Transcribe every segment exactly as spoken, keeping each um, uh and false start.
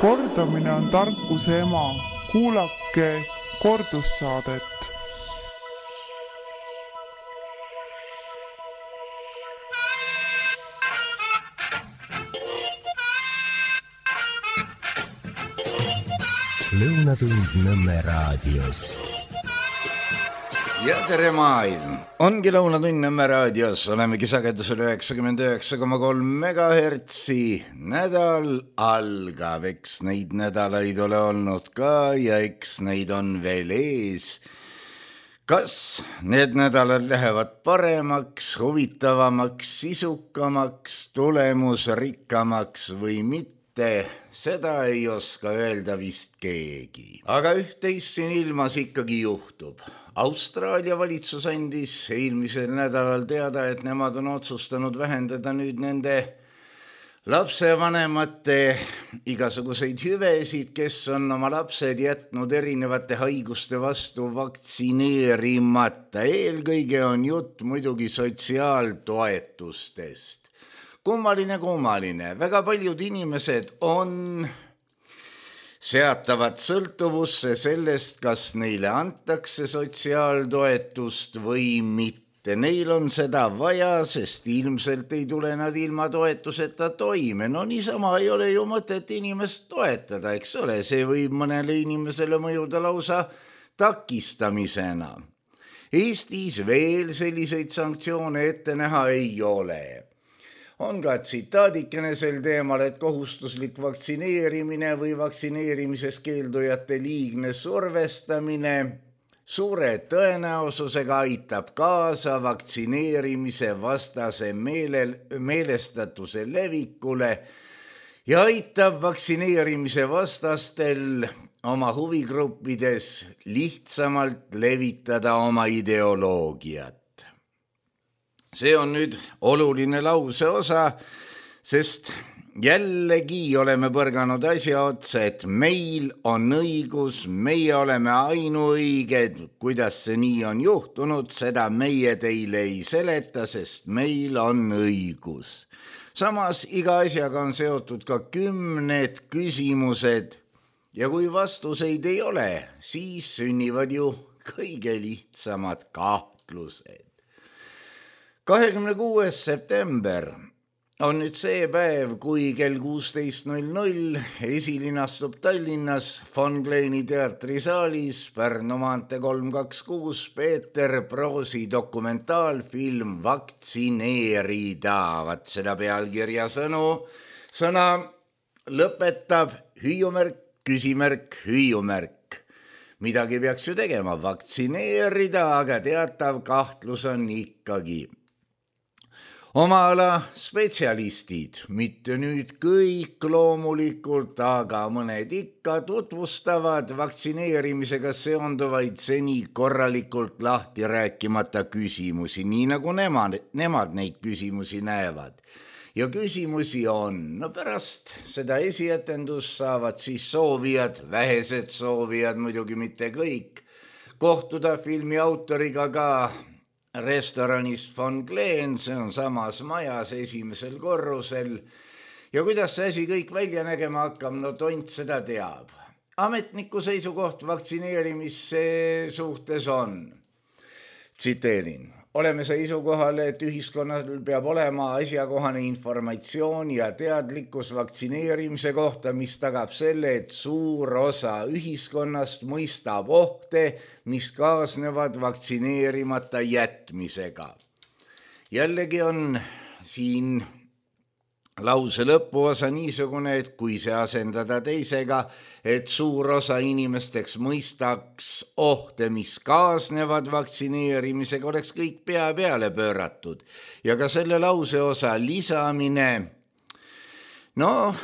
Kordamine on tarkuse ema. Kuulake kordussaadet. Lõunatund Nõmme raadios. Ja tere maailm! Ongi Lõunatund Nõmme raadios. Olemegi sagedusel üheksakümmend üheksa koma kolm megahertsi. Nädal algab. Eks neid nädalaid ole olnud ka ja eks neid on veel ees. Kas need nädalad lähevad paremaks, huvitavamaks, sisukamaks, tulemusrikkamaks või mitte? Seda ei oska öelda vist keegi. Aga üht-teist siin ilmas ikkagi juhtub. Austraalia valitsus andis eelmisel nädalal teada, et nemad on otsustanud vähendada nüüd nende lapsevanemate igasuguseid hüvesid, kes on oma lapsed jätnud erinevate haiguste vastu vaktsineerimata. Eelkõige on jutt muidugi sotsiaaltoetustest. Kummaline, kummaline. Väga paljud inimesed on seatavad sõltuvusse sellest, kas neile antakse sotsiaaltoetust või mitte. Neil on seda vaja, sest ilmselt ei tule nad ilma toetuseta toime. No niisama ei ole ju mõtet inimest toetada, eks ole. See võib mõnele inimesele mõjuda lausa takistamisena. Eestis veel selliseid sanktsioone ette näha ei ole. On ka tsitaadikene sel teemal, et kohustuslik vaktsineerimine või vaktsineerimises keeldujate liigne survestamine suure tõenäosusega aitab kaasa vaktsineerimise vastase meelel, meelestatuse levikule ja aitab vaktsineerimise vastastel oma huvigruppides lihtsamalt levitada oma ideoloogiat. See on nüüd oluline lause osa, sest jällegi oleme põrganud asja otsa, et meil on õigus, meie oleme ainuõiged. Kuidas see nii on juhtunud, seda meie teile ei seleta, sest meil on õigus. Samas iga asjaga on seotud ka kümned küsimused ja kui vastuseid ei ole, siis sünnivad ju kõige lihtsamad kahtlused. kahekümne kuues september on nüüd see päev, kui kell kuusteist null null esilinastub Tallinnas Von Kleini teatrisaalis Pärnu maantee kolm kaks kuus Peeter Proosi dokumentaalfilm Vaktsineerida. Vat seda pealkirja sõnu, sõna lõpetab hüüumärk, küsimärk, hüüumärk. Midagi peaks ju tegema, vaktsineerida, aga teatav kahtlus on ikkagi. Oma ala spetsialistid, mitte nüüd kõik loomulikult, aga mõned ikka tutvustavad vaktsineerimisega seonduvaid seni korralikult lahti rääkimata küsimusi, nii nagu nemad, nemad neid küsimusi näevad. Ja küsimusi on, no pärast seda esietendust saavad siis soovijad, vähesed soovijad, muidugi mitte kõik, kohtuda filmi autoriga ka restoranist Von Kleen, see on samas majas esimesel korrusel. Ja kuidas see asi kõik välja nägema hakkab, no tont seda teab. Ametniku seisukoht vaktsineerimise suhtes on, tsiteerin, oleme seisukohal, et ühiskonnal peab olema asjakohane informatsioon ja teadlikkus vaktsineerimise kohta, mis tagab selle, et suur osa ühiskonnast mõistab ohte, mis kaasnevad vaktsineerimata jätmisega. Jällegi on siin lause lõpuosa niisugune, et kui see asendada teisega, et suur osa inimesteks mõistaks ohte, mis kaasnevad vaktsineerimisega, oleks kõik pea peale pööratud. Ja ka selle lause osa lisamine, no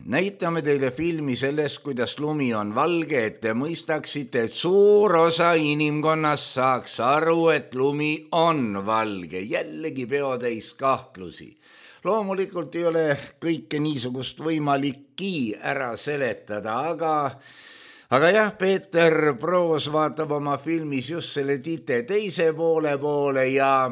näitame teile filmi sellest, kuidas lumi on valge, et te mõistaksite, et suur osa inimkonnast saaks aru, et lumi on valge. Jällegi peotäis kahtlusi. Loomulikult ei ole kõike niisugust võimalikki ära seletada, aga, aga jah, Peeter Proos vaatab oma filmis just selle tite teise poole poole ja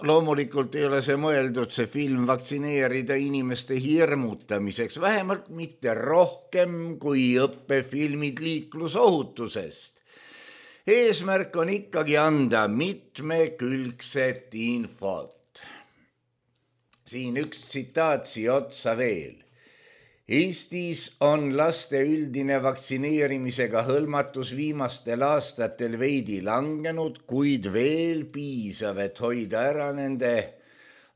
loomulikult ei ole see mõeldud, see film, vaktsineerida inimeste hirmutamiseks, vähemalt mitte rohkem kui õppefilmid liiklusohutusest. Eesmärk on ikkagi anda mitmekülgset infot. Siin üks tsitaat siia otsa veel. Eestis on laste üldine vaktsineerimisega hõlmatus viimastel aastatel veidi langenud, kuid veel piisav, et hoida ära nende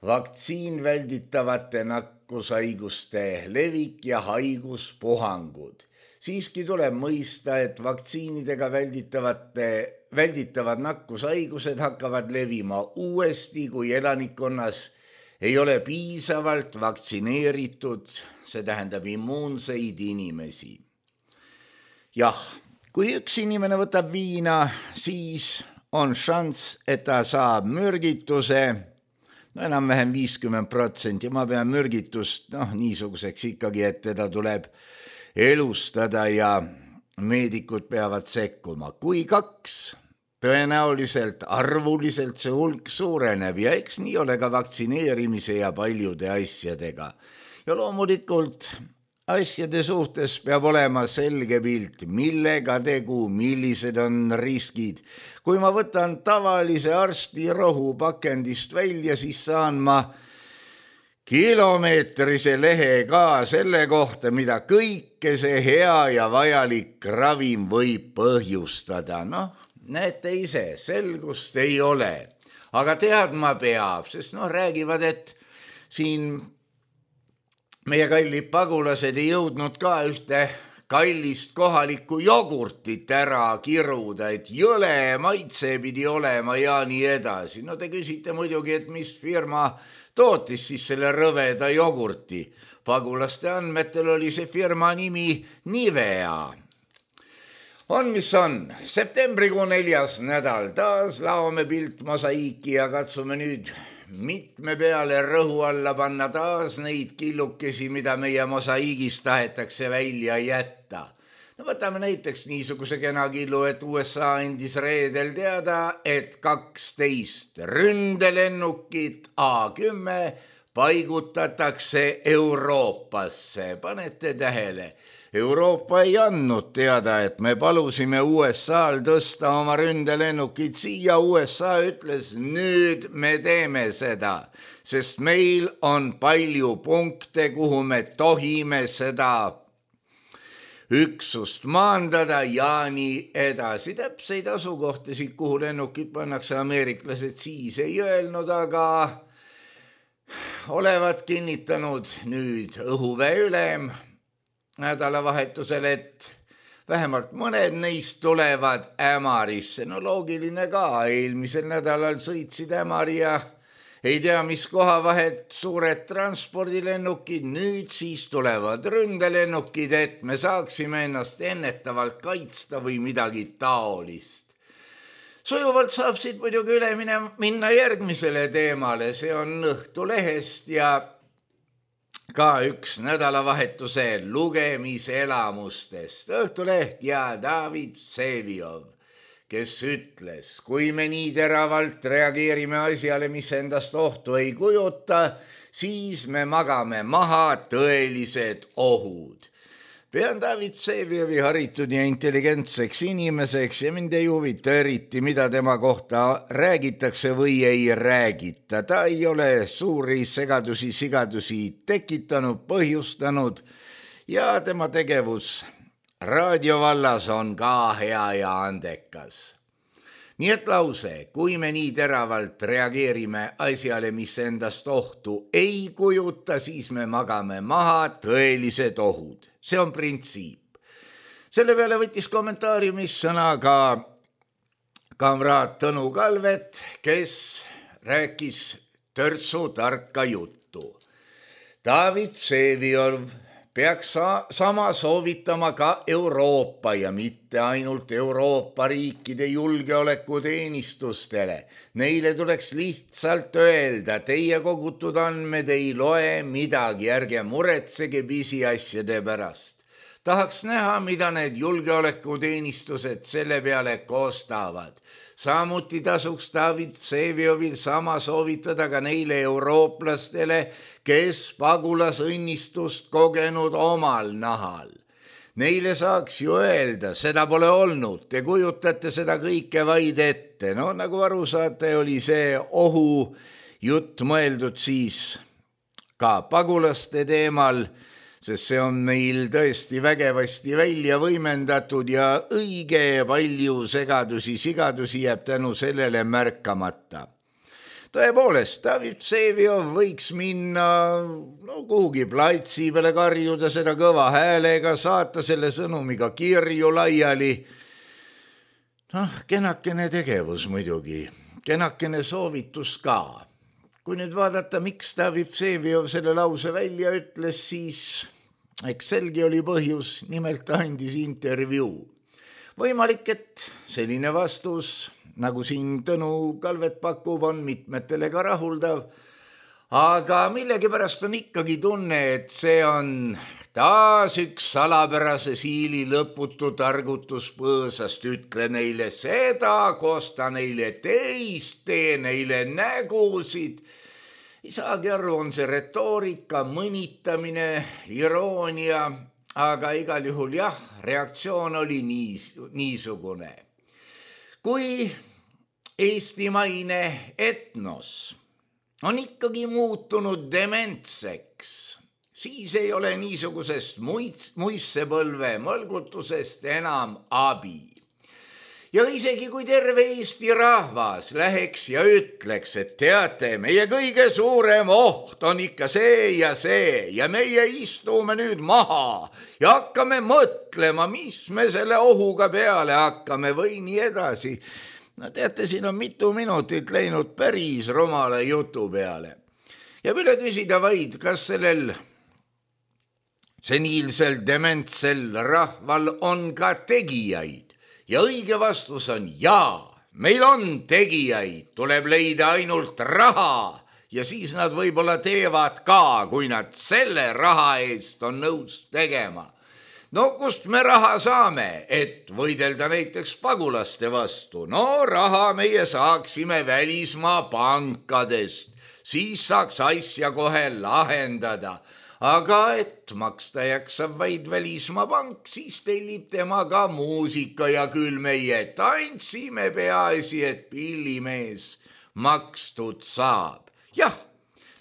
vaktsiin välditavate nakkushaiguste levik ja haiguspuhangud. Siiski tuleb mõista, et vaktsiinidega välditavate, välditavad nakkushaigused hakkavad levima uuesti, kui elanikkonnas ei ole piisavalt vaktsineeritud, see tähendab immuunseid inimesi. Jah, kui üks inimene võtab viina, siis on šanss, et ta saab mürgituse, no enam-vähem viiskümmend protsenti, ma pean mürgitust noh, niisuguseks ikkagi, et teda tuleb elustada ja meedikud peavad sekkuma. Kui kaks, tõenäoliselt arvuliselt see hulk suureneb ja eks nii ole ka vaktsineerimise ja paljude asjadega. Ja loomulikult asjade suhtes peab olema selge pilt, millega tegu, millised on riskid. Kui ma võtan tavalise arsti rohu pakendist välja, siis saan ma kilomeetrise lehe ka selle kohta, mida kõike see hea ja vajalik ravim võib põhjustada. Noh, näete ise, selgust ei ole, aga teadma peab, sest noh, räägivad, et siin meie kallid pagulased ei jõudnud ka ühte kallist kohalikku jogurtit ära kiruda, et jõle maitse pidi olema ja nii edasi. No te küsite muidugi, et mis firma tootis siis selle rõveda jogurti. Pagulaste andmetel oli see firma nimi Nivea. On mis on, septembrikuu neljas nädal, taas laome pilt mosaiiki ja katsume nüüd mitme peale rõhu alla panna taas neid killukesi, mida meie mosaiigis tahetakse välja jätta. No võtame näiteks niisuguse kena killu, et U S A andis reedel teada, et kaksteist ründelennukit A kümme paigutatakse Euroopasse. Panete tähele? Euroopa ei andnud teada, et me palusime U S A-l tõsta oma ründelennukid siia. U S A ütles, nüüd me teeme seda, sest meil on palju punkte, kuhu me tohime seda üksust maandada ja nii edasi. Täpseid asukohtasid, kuhu lennukid pannakse, ameeriklased siis ei öelnud, aga olevat kinnitanud nüüd õhuväe ülem nädalavahetusel, et vähemalt mõned neist tulevad Ämarisse. No loogiline ka, eelmisel nädalal sõitsid Ämari ja ei tea, mis koha vahelt suured transpordilennukid, nüüd siis tulevad ründelennukid, et me saaksime ennast ennetavalt kaitsta või midagi taolist. Sujuvalt saab siit muidugi üle minna järgmisele teemale, see on Õhtulehest ja ka üks nädalavahetuse lugemiselamustest. Õhtuleht ja David Vseviov, kes ütles, kui me nii teravalt reageerime asjale, mis endast ohtu ei kujuta, siis me magame maha tõelised ohud. Pean David Vseviovi haritud ja intelligentseks inimeseks ja mind ei huvita eriti, mida tema kohta räägitakse või ei räägita. Ta ei ole suuri segadusi, sigadusi tekitanud, põhjustanud ja tema tegevus raadiovallas on ka hea ja andekas. Nii et lause, kui me nii teravalt reageerime asjale, mis endast ohtu ei kujuta, siis me magame maha tõelised ohud. See on printsiip. Selle peale võttis kommentaariumis sõna ka kamraad Tõnu Kalvet, kes rääkis törtsu tarka juttu. David Vseviov peaks sama soovitama ka Euroopa ja mitte ainult Euroopa riikide julgeolekuteenistustele. Neile tuleks lihtsalt öelda, teie kogutud andmed ei loe midagi, ärge muretsege pisiasjade pärast. Tahaks näha, mida need julgeolekuteenistused selle peale koostavad. Samuti tasuks David Vseviovil sama soovitada ka neile eurooplastele, kes pagulasõnnistust kogenud omal nahal. Neile saaks ju öelda, seda pole olnud, te kujutate seda kõike vaid ette. No nagu aru saate, oli see ohu jutt mõeldud siis ka pagulaste teemal, sest see on meil tõesti vägevasti välja võimendatud ja õige palju segadusi, sigadusi jääb tänu sellele märkamata. Tõepoolest, David Vseviov võiks minna no, kuhugi platsi peale karjuda seda kõva häälega, saata selle sõnumiga kirju laiali. Noh, kenakene tegevus muidugi, kenakene soovitus ka. Kui nüüd vaadata, miks David Vseviov selle lause välja ütles, siis eks selgi oli põhjus, nimelt ta andis intervjuu. Võimalik, et selline vastus, nagu siin Tõnu Kalvet pakub, on mitmetele ka rahuldav, aga millegipärast on ikkagi tunne, et see on taas üks salapärase siili lõputu targutus põõsast, ütle neile seda, kosta neile teist, tee neile nägusid. Ei saagi aru, on see retoorika, mõnitamine, iroonia, aga igal juhul jah, reaktsioon oli niis, niisugune. Kui eestimaine etnos on ikkagi muutunud dementseks, siis ei ole niisugusest muissepõlve mõlgutusest enam abi. Ja isegi kui terve Eesti rahvas läheks ja ütleks, et teate, meie kõige suurem oht on ikka see ja see ja meie istume nüüd maha ja hakkame mõtlema, mis me selle ohuga peale hakkame või nii edasi. No teate, siin on mitu minutit läinud päris rumala jutu peale. Ja üle küsida vaid, kas sellel seniilsel dementsel rahval on ka tegijaid. Ja õige vastus on jaa, meil on tegijaid, tuleb leida ainult raha ja siis nad võib-olla teevad ka, kui nad selle raha eest on nõus tegema. No kust me raha saame, et võidelda näiteks pagulaste vastu? No raha meie saaksime välismaa pankadest, siis saaks asja kohe lahendada. Aga et maksta jaksab vaid välismaa pank, siis tellib tema ka muusika ja küll meie tantsime peaasi, et pillimees makstud saab. Jah,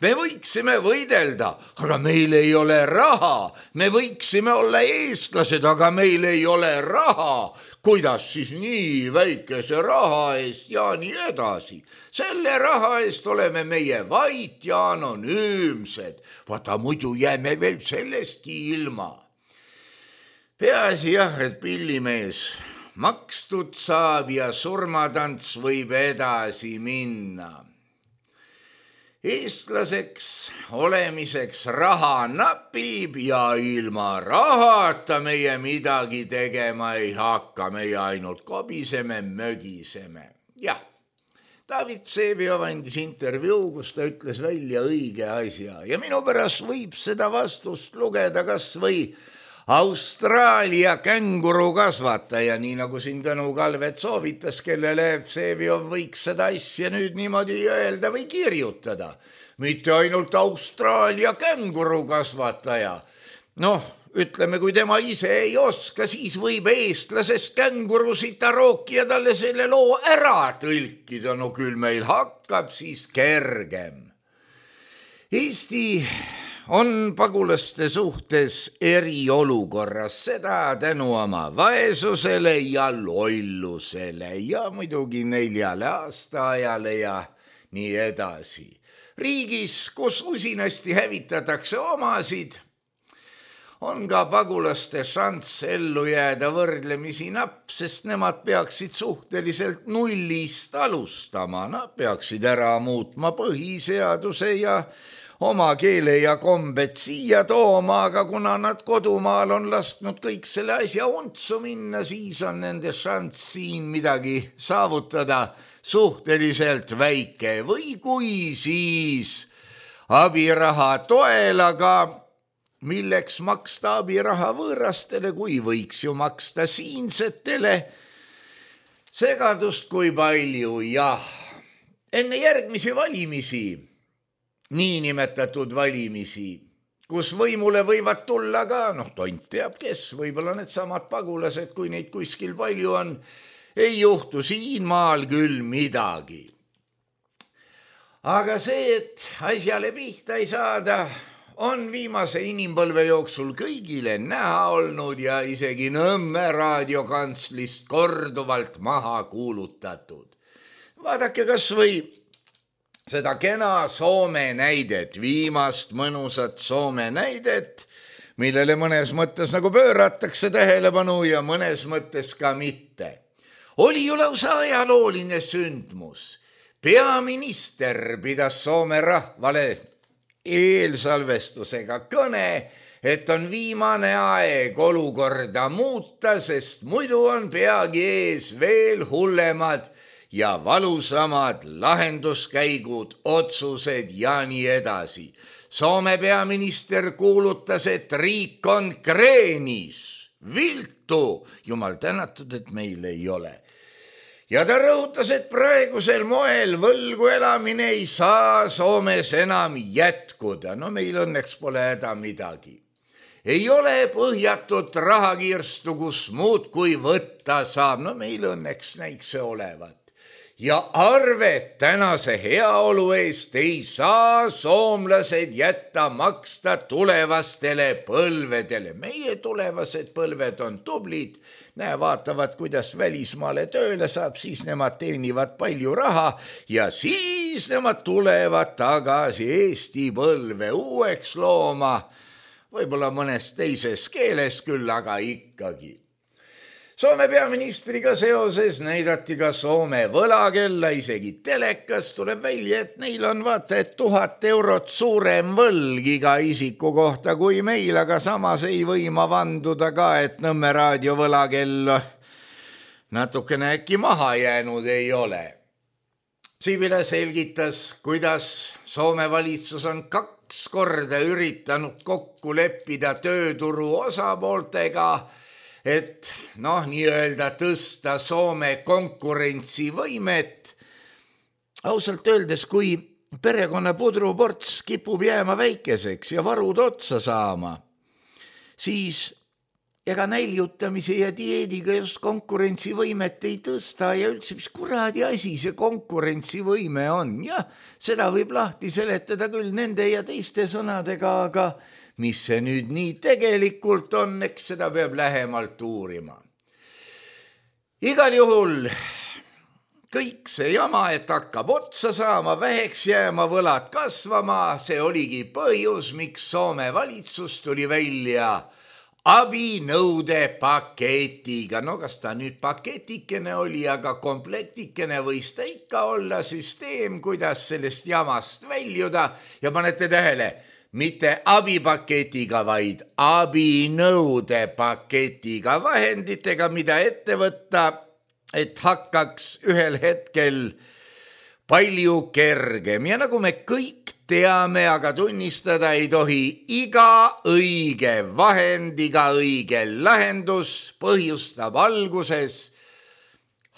me võiksime võidelda, aga meil ei ole raha. Me võiksime olla eestlased, aga meil ei ole raha. Kuidas siis nii väikese raha eest ja nii edasi? Selle raha eest oleme meie vait ja anonüümsed. Vaata, muidu jääme veel sellestki ilma. Peaasi jah, et pillimees makstud saab ja surmatants võib edasi minna. Eestlaseks olemiseks raha napib ja ilma rahata meie midagi tegema ei hakka, meie ainult kobiseme, mögiseme. Jah, David Vseviov andis intervjuu, kus ta ütles välja õige asja ja minu pärast võib seda vastust lugeda kas või Austraalia känguru kasvataja, nii nagu siin Tõnu Kalvet soovitas, kellele Vseviov võiks seda asja nüüd niimoodi öelda või kirjutada. Mitte ainult Austraalia känguru kasvataja. Noh, ütleme, kui tema ise ei oska, siis võib eestlasest kängurusita rookija talle selle loo ära tõlkida. No küll meil hakkab siis kergem. Eesti on pagulaste suhtes eriolukorras, seda tänu oma vaesusele ja lollusele ja muidugi neljale aastaajale ja nii edasi. Riigis, kus usinasti hävitatakse omasid, on ka pagulaste šanss ellu jääda võrdlemisi napp, sest nemad peaksid suhteliselt nullist alustama. Nad peaksid ära muutma põhiseaduse ja oma keele ja kombed siia tooma, aga kuna nad kodumaal on lasknud kõik selle asja untsu minna, siis on nende šanss siin midagi saavutada suhteliselt väike või kui siis abiraha toel, aga milleks maksta abiraha võõrastele, kui võiks ju maksta siinsetele. Segadust kui palju, jah. Enne järgmisi valimisi, niinimetatud valimisi, kus võimule võivad tulla ka, noh, tont teab kes, võib-olla need samad pagulased, kui neid kuskil palju on, ei juhtu siin maal küll midagi. Aga see, et asjale pihta ei saada, on viimase inimpõlve jooksul kõigile näha olnud ja isegi Nõmme raadiokantslist korduvalt maha kuulutatud. Vaadake kas või seda kena Soome näidet, viimast mõnusat Soome näidet, millele mõnes mõttes nagu pööratakse tähelepanu ja mõnes mõttes ka mitte. Oli ju lausa ajalooline sündmus. Peaminister pidas Soome rahvale eelsalvestusega kõne, et on viimane aeg olukorda muuta, sest muidu on peagi ees veel hullemad ja valusamad lahenduskäigud, otsused ja nii edasi. Soome peaminister kuulutas, et riik on kreenis, viltu, jumal tänatud, et meil ei ole. Ja ta rõhutas, et praegusel moel võlgu elamine ei saa Soomes enam jätkuda. No meil õnneks pole häda midagi. Ei ole põhjatut rahakirstu, kus muud kui võtta saab. No meil õnneks näiks see olevat. Ja arvet tänase heaolu eest ei saa soomlased jätta maksta tulevastele põlvedele. Meie tulevased põlved on tublid. Näe, vaatavad, kuidas välismaale tööle saab, siis nemad teenivad palju raha ja siis nemad tulevad tagasi Eesti põlve uueks looma. Võib-olla mõnes teises keeles küll, aga ikkagi. Soome peaministriga seoses näidati ka Soome võlakella, isegi telekas tuleb välja, et neil on vaata, et tuhat eurot suurem võlg iga isiku kohta kui meil, aga samas ei võima vanduda ka, et Nõmme raadio võlakell natukene äkki maha jäänud ei ole. Sibila selgitas, kuidas Soome valitsus on kaks korda üritanud kokku leppida tööturu osapooltega, et noh, nii-öelda tõsta Soome konkurentsivõimet. Ausalt öeldes, kui perekonna pudruports kipub jääma väikeseks ja varud otsa saama, siis ega näljutamise ja dieediga just konkurentsivõimet ei tõsta ja üldse, mis kuradi asi see konkurentsivõime on. Jah, seda võib lahti seletada küll nende ja teiste sõnadega, aga mis see nüüd nii tegelikult on, eks seda peab lähemalt uurima. Igal juhul kõik see jama, et hakkab otsa saama, väheks jääma, võlad kasvama, see oligi põhjus, miks Soome valitsus tuli välja abinõude paketiga. No kas ta nüüd paketikene oli, aga komplektikene võis ta ikka olla, süsteem, kuidas sellest jamast väljuda ja panete tähele, mitte abipaketiga, vaid abinõude paketiga, vahenditega, mida ette võtta, et hakkaks ühel hetkel palju kergem. Ja nagu me kõik teame, aga tunnistada ei tohi, iga õige vahend, iga õige lahendus põhjustab alguses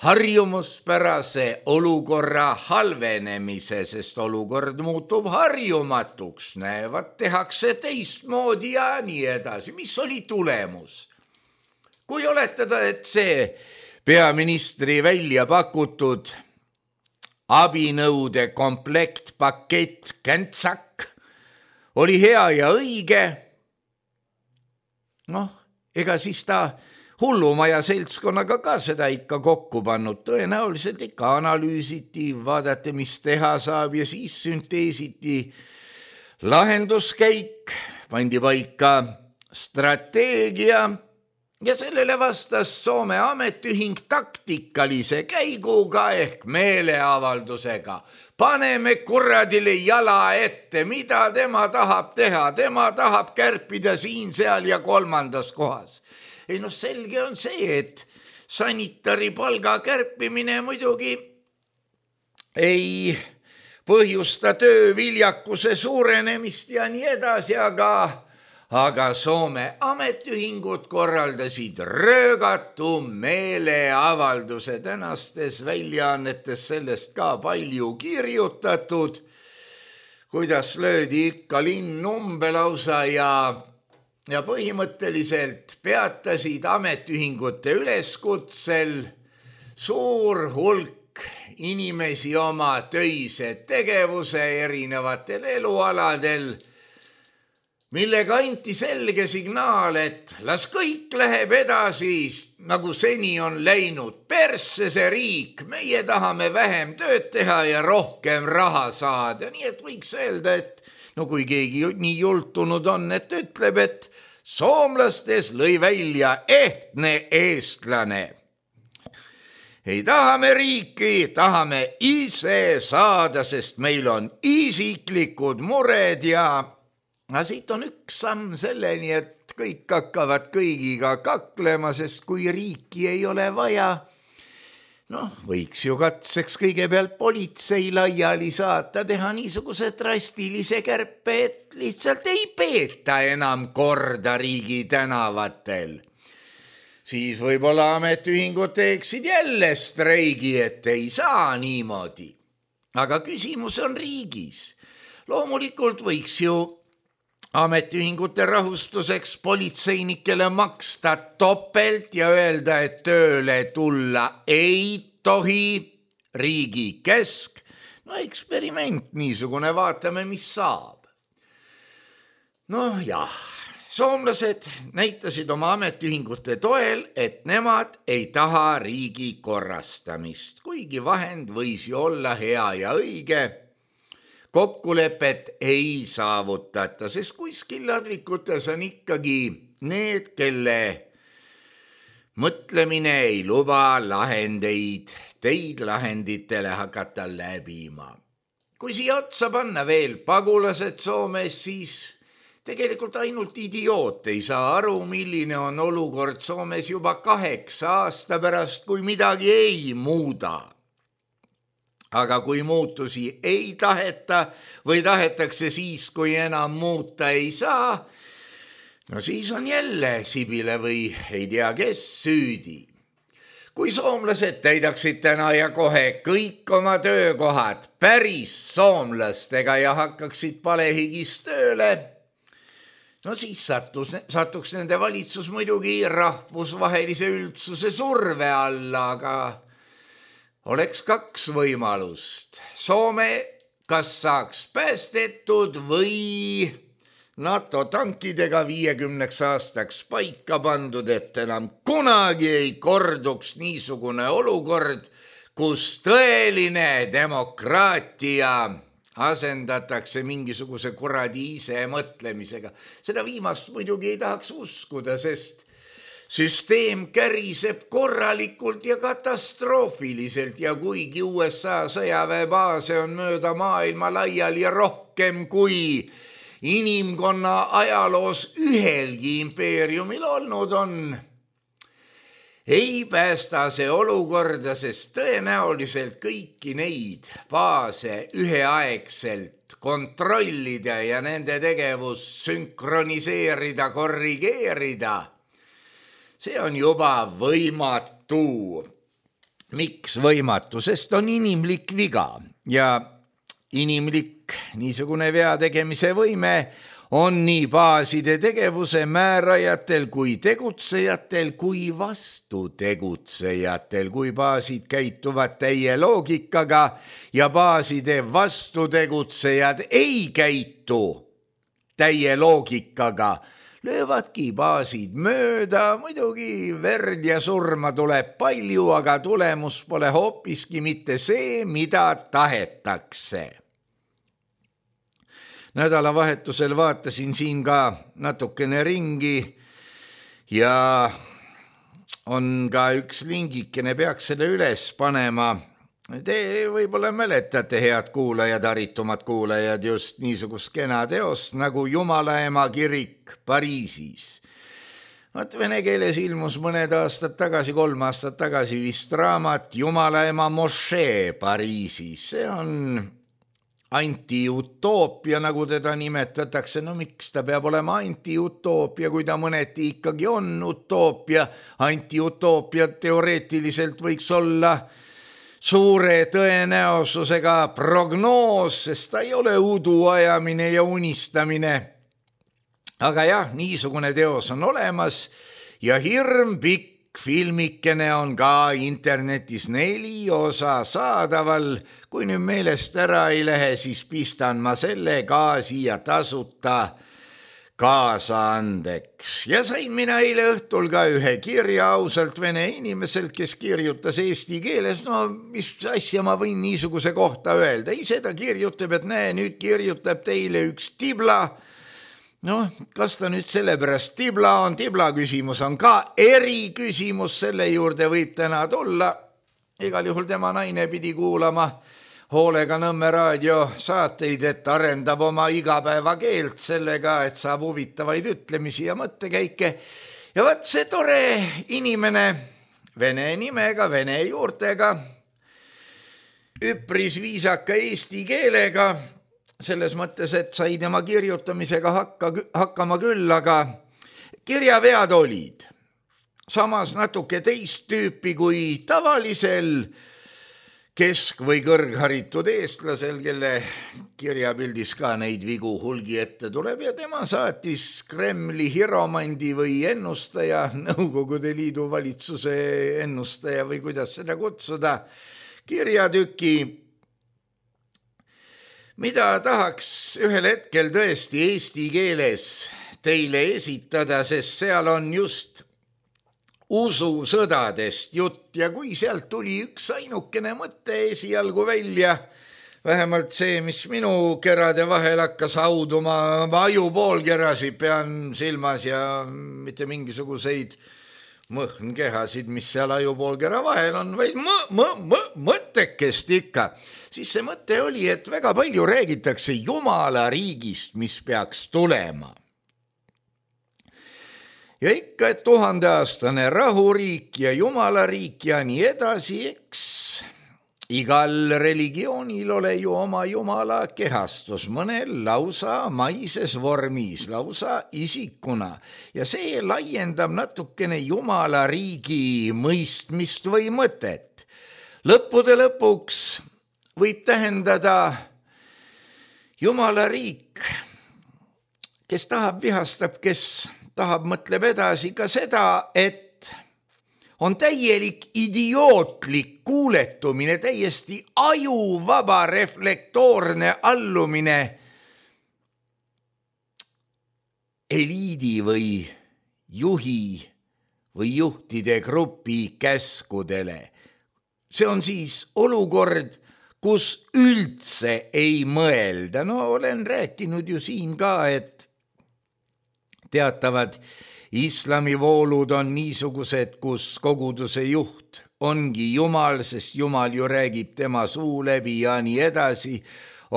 harjumuspärase olukorra halvenemise, sest olukord muutub harjumatuks, näevad, tehakse teistmoodi ja nii edasi. Mis oli tulemus? Kui oletada, et see peaministri välja pakutud abinõude komplekt, pakett, käntsak oli hea ja õige, noh, ega siis ta hullumaja seltskonnaga ka seda ikka kokku pannud, tõenäoliselt ikka analüüsiti, vaadati, mis teha saab ja siis sünteesiti lahenduskäik, pandi paika strateegia ja sellele vastas Soome ametiühing taktikalise käiguga ehk meeleavaldusega. Paneme kuradile jala ette, mida tema tahab teha, tema tahab kärpida siin, seal ja kolmandas kohas. Ei noh, selge on see, et sanitari palga kärpimine muidugi ei põhjusta tööviljakuse suurenemist ja nii edasi, aga, aga Soome ametiühingud korraldasid röögatu meeleavalduse. Tänastes väljaannetes sellest ka palju kirjutatud, kuidas löödi ikka linn umbe lausa ja ja põhimõtteliselt peatasid ametiühingute üleskutsel suur hulk inimesi oma töise tegevuse erinevatel elualadel, millega anti selge signaal, et las kõik läheb edasi, nagu seni on läinud. Persse see riik, meie tahame vähem tööd teha ja rohkem raha saada. Nii et võiks öelda, et no kui keegi nii jultunud on, et ütleb, et soomlastes lõi välja ehtne eestlane. Ei tahame riiki, tahame ise saada, sest meil on isiklikud mured ja no, siit on üks samm selleni, et kõik hakkavad kõigiga kaklema, sest kui riiki ei ole vaja, noh, võiks ju katseks kõigepealt politsei laiali saata, teha niisuguse drastilise kärpe, et lihtsalt ei peeta enam korda riigi tänavatel. Siis võib-olla ametiühingud teeksid jälle streigi, et ei saa niimoodi. Aga küsimus on riigis. Loomulikult võiks ju ametiühingute rahustuseks politseinikele maksta topelt ja öelda, et tööle tulla ei tohi, riigi kesk. No eksperiment niisugune, vaatame, mis saab. No jah, soomlased näitasid oma ametiühingute toel, et nemad ei taha riigi korrastamist, kuigi vahend võis ju olla hea ja õige. Kokkulepet ei saavutata, sest kuskil ladvikutes on ikkagi need, kelle mõtlemine ei luba lahendeid, teid lahenditele hakata läbima. Kui siia otsa panna veel pagulased Soomes, siis tegelikult ainult idioot ei saa aru, milline on olukord Soomes juba kaheksa aasta pärast, kui midagi ei muuda. Aga kui muutusi ei taheta või tahetakse siis, kui enam muuta ei saa, no siis on jälle Sibile või ei tea kes süüdi. Kui soomlased täidaksid täna ja kohe kõik oma töökohad päris soomlastega ja hakkaksid palehigis tööle, no siis sattus, satuks nende valitsus muidugi rahvusvahelise üldsuse surve alla, aga oleks kaks võimalust. Soome kas saaks päästetud või NATO tankidega viiekümneks aastaks paika pandud, et enam kunagi ei korduks niisugune olukord, kus tõeline demokraatia asendatakse mingisuguse kuradi ise mõtlemisega. Seda viimast muidugi ei tahaks uskuda, sest süsteem käriseb korralikult ja katastroofiliselt ja kuigi U S A sõjaväebaase on mööda maailma laiali ja rohkem kui inimkonna ajaloos ühelgi impeeriumil olnud on, ei päästa see olukorda, sest tõenäoliselt kõiki neid baase üheaegselt kontrollida ja nende tegevus sünkroniseerida, korrigeerida, see on juba võimatu. Miks võimatu? Sest on inimlik viga ja inimlik niisugune vea tegemise võime on nii baaside tegevuse määrajatel kui tegutsejatel kui vastu tegutsejatel, kui baasid käituvad täie loogikaga ja baaside vastu tegutsejad ei käitu täie loogikaga, löövadki baasid mööda, muidugi verd ja surma tuleb palju, aga tulemus pole hoopiski mitte see, mida tahetakse. Nädalavahetusel vaatasin siin ka natukene ringi ja on ka üks lingikene, peaks selle üles panema. Te võib-olla mäletate, head kuulajad, haritumad kuulajad, just niisugust kena teost nagu Jumalaema kirik Pariisis. Vaat vene keeles ilmus mõned aastad tagasi, kolm aastat tagasi vist raamat Jumalaema mošee Pariisis. See on antiutoopia, nagu teda nimetatakse. No miks ta peab olema antiutoopia, kui ta mõneti ikkagi on utoopia? Antiutoopia teoreetiliselt võiks olla suure tõenäosusega prognoos, sest ta ei ole udu ajamine ja unistamine. Aga jah, niisugune teos on olemas ja hirm pikk filmikene on ka internetis neli osa saadaval. Kui nüüd meelest ära ei lähe, siis pistan ma selle ka siia tasuta kaasa andeks. Ja sain mina eile õhtul ka ühe kirja ausalt vene inimeselt, kes kirjutas eesti keeles. No mis asja ma võin niisuguse kohta öelda? Ise ta kirjutab, et näe, nüüd kirjutab teile üks tibla. No, kas ta nüüd sellepärast tibla on? Tibla küsimus on ka eri küsimus, selle juurde võib täna tulla. Igal juhul tema naine pidi kuulama hoolega Nõmme raadio saateid, et arendab oma igapäeva keelt sellega, et saab huvitavaid ütlemisi ja mõttekäike. Ja vaat see tore inimene vene nimega, vene juurtega, üpris viisaka eesti keelega, selles mõttes, et sai tema kirjutamisega hakka, hakkama küll, aga kirjavead olid samas natuke teist tüüpi kui tavalisel kesk- või kõrgharitud eestlasel, kelle kirjapildis ka neid vigu hulgi ette tuleb ja tema saatis Kremli hiromandi või ennustaja, Nõukogude Liidu valitsuse ennustaja või kuidas seda kutsuda, kirjatüki, mida tahaks ühel hetkel tõesti eesti keeles teile esitada, sest seal on just ususõdadest jutt ja kui sealt tuli üks ainukene mõte esialgu välja, vähemalt see, mis minu kerade vahel hakkas hauduma, ma ajupoolkerasid pean silmas ja mitte mingisuguseid mõhnkehasid, mis seal ajupoolkera vahel on, vaid mõ- mõ- mõ- mõttekest ikka. Siis see mõte oli, et väga palju räägitakse Jumala riigist, mis peaks tulema. Ja ikka, et tuhandeaastane rahuriik ja Jumala riik ja nii edasi, eks igal religioonil ole ju oma Jumala kehastus, mõnel lausa maises vormis, lausa isikuna. Ja see laiendab natukene Jumala riigi mõistmist või mõtet. Lõppude lõpuks võib tähendada Jumala riik, kes tahab, vihastab, kes tahab, mõtleb edasi ka seda, et on täielik idiootlik kuuletumine, täiesti ajuvaba reflektoorne allumine eliidi või juhi või juhtide grupi käskudele. See on siis olukord, kus üldse ei mõelda. No olen rääkinud ju siin ka, et teatavad islamivoolud on niisugused, kus koguduse juht ongi Jumal, sest Jumal ju räägib tema suu läbi ja nii edasi.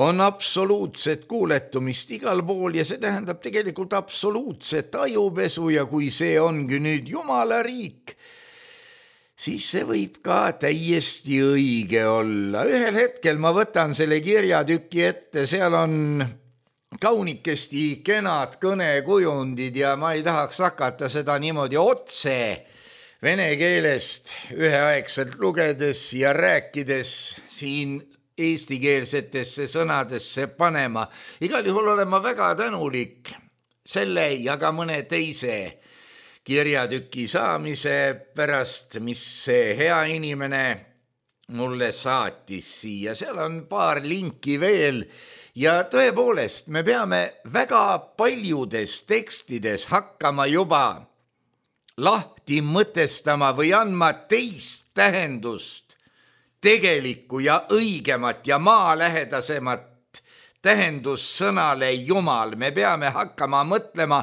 On absoluutset kuuletumist igal pool ja see tähendab tegelikult absoluutset ajupesu ja kui see ongi nüüd Jumala riik, siis see võib ka täiesti õige olla. Ühel hetkel ma võtan selle kirjatüki ette, seal on kaunikesti kenad kõnekujundid ja ma ei tahaks hakata seda niimoodi otse vene keelest üheaegselt lugedes ja rääkides siin eestikeelsetesse sõnadesse panema. Igal juhul olen ma väga tänulik selle ja ka mõne teise kirjatüki saamise pärast, mis see hea inimene mulle saatis siia. Seal on paar linki veel ja tõepoolest me peame väga paljudes tekstides hakkama juba lahti mõtestama või andma teist tähendust, tegelikku ja õigemat ja maalähedasemat tähendust sõnale Jumal. Me peame hakkama mõtlema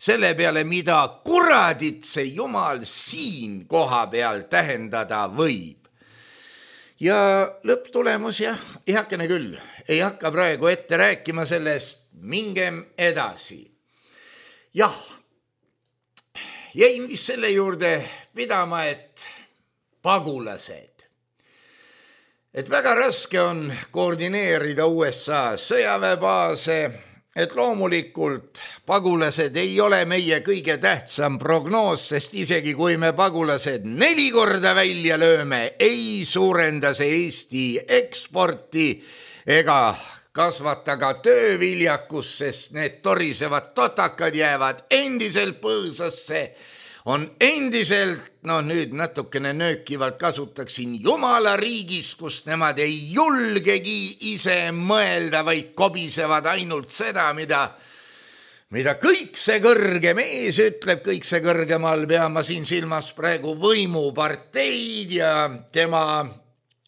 selle peale, mida kuradit see Jumal siin koha peal tähendada võib. Ja lõpptulemus jah, ei hakkene küll, ei hakka praegu ette rääkima sellest, mingem edasi. Jah, jäin vist selle juurde pidama, et pagulased. et väga raske on koordineerida U S A sõjaväebaase, et loomulikult pagulased ei ole meie kõige tähtsam prognoos, sest isegi kui me pagulased neli korda välja lööme, ei suurenda see Eesti eksporti ega kasvata ka tööviljakus, sest need torisevad totakad jäävad endiselt põõsasse, on endiselt, no nüüd natukene nöökivalt kasutaksin Jumala riigis, kus nemad ei julgegi ise mõelda, vaid kobisevad ainult seda, mida, mida kõik see kõrge mees ütleb, kõik see kõrgemal peama siin silmas praegu võimuparteid ja tema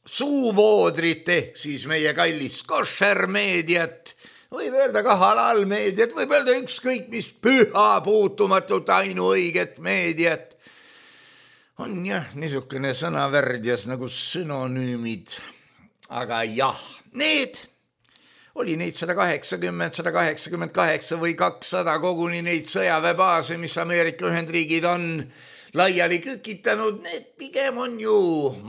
suuvoodrit ehk siis meie kallis koššermeediat, võib öelda ka halalmeediat, võib öelda ükskõik mis püha puutumatut ainuõiget meediat. On jah, niisugune sõnavärdjas nagu sünonüümid, aga jah, need oli neid sada kaheksakümmend, sada kaheksakümmend kaheksa või kakssada koguni neid sõjaväebaase, mis Ameerika Ühendriigid on laiali kükitanud, need pigem on ju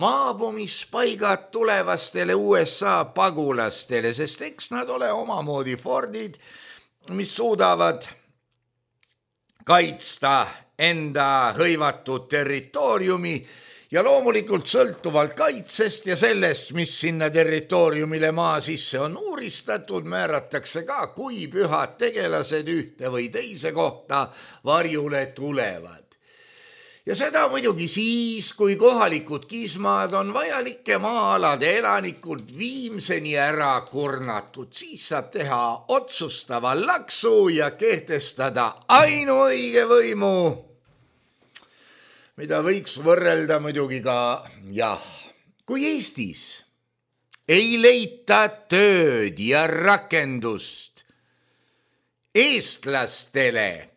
maabumispaigad tulevastele U S A pagulastele, sest eks nad ole omamoodi Fordid, mis suudavad kaitsta enda hõivatud territooriumi ja loomulikult sõltuvalt kaitsest ja sellest, mis sinna territooriumile maa sisse on uuristatud, määratakse ka, kui pühad tegelased ühte või teise kohta varjule tulevad. Ja seda muidugi siis, kui kohalikud kismad on vajalike maa-alade elanikud viimseni ära kurnatud, siis saab teha otsustava laksu ja kehtestada ainuõige võimu, mida võiks võrrelda muidugi ka, jah, kui Eestis ei leita tööd ja rakendust eestlastele,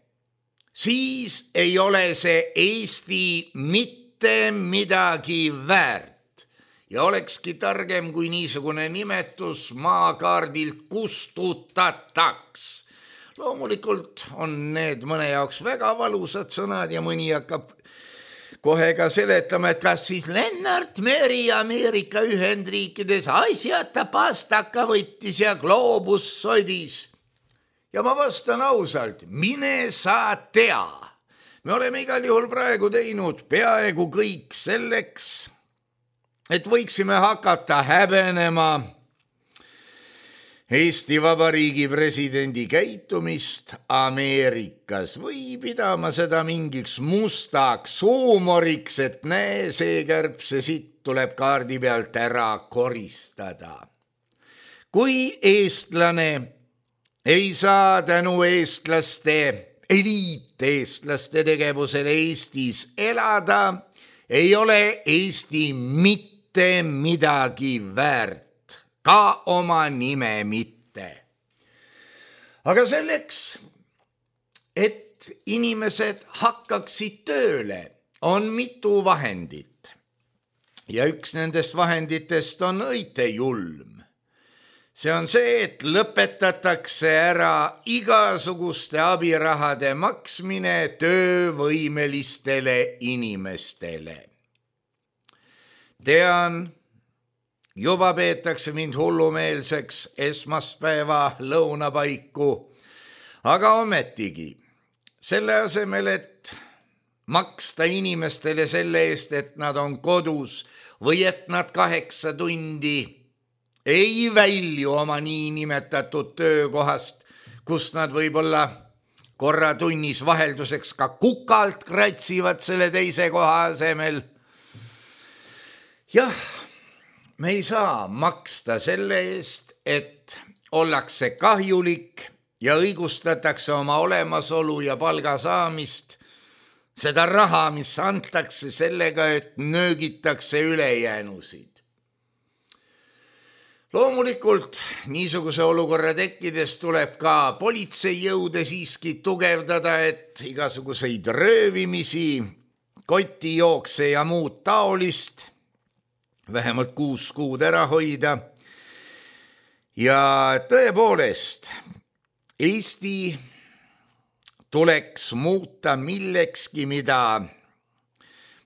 siis ei ole see Eesti mitte midagi väärt ja olekski targem, kui niisugune nimetus maakaardilt kustutataks. Loomulikult on need mõne jaoks väga valusad sõnad ja mõni hakkab kohe ka seletama, et kas siis Lennart Meri Ameerika Ühendriikides asjata pastaka võttis ja gloobus sodis. Ja ma vastan ausalt, mine sa tea. Me oleme igal juhul praegu teinud peaaegu kõik selleks, et võiksime hakata häbenema Eesti Vabariigi presidendi käitumist Ameerikas või pidama seda mingiks mustaks huumoriks, et näe, see kärbse sitt tuleb kaardi pealt ära koristada. Kui eestlane ei saa tänu eestlaste, eliiteestlaste tegevusele Eestis elada, ei ole Eesti mitte midagi väärt, ka oma nime mitte. Aga selleks, et inimesed hakkaksid tööle, on mitu vahendit. Ja üks nendest vahenditest on õitejulm. See on see, et lõpetatakse ära igasuguste abirahade maksmine töövõimelistele inimestele. Tean, juba peetakse mind hullumeelseks esmaspäeva lõunapaiku, aga ometigi selle asemel, et maksta inimestele selle eest, et nad on kodus või et nad kaheksa tundi ei välju oma niinimetatud töökohast, kus nad võib-olla korra tunnis vahelduseks ka kukalt kratsivad selle teise koha asemel. Jah, me ei saa maksta selle eest, et ollakse kahjulik ja õigustatakse oma olemasolu ja palga saamist, seda raha, mis antakse sellega, et nöögitakse ülejäänusid. Loomulikult niisuguse olukorra tekkides tuleb ka politseijõude siiski tugevdada, et igasuguseid röövimisi, kotijookse ja muud taolist vähemalt kuus kuud ära hoida. Ja tõepoolest, Eesti tuleks muuta millekski, mida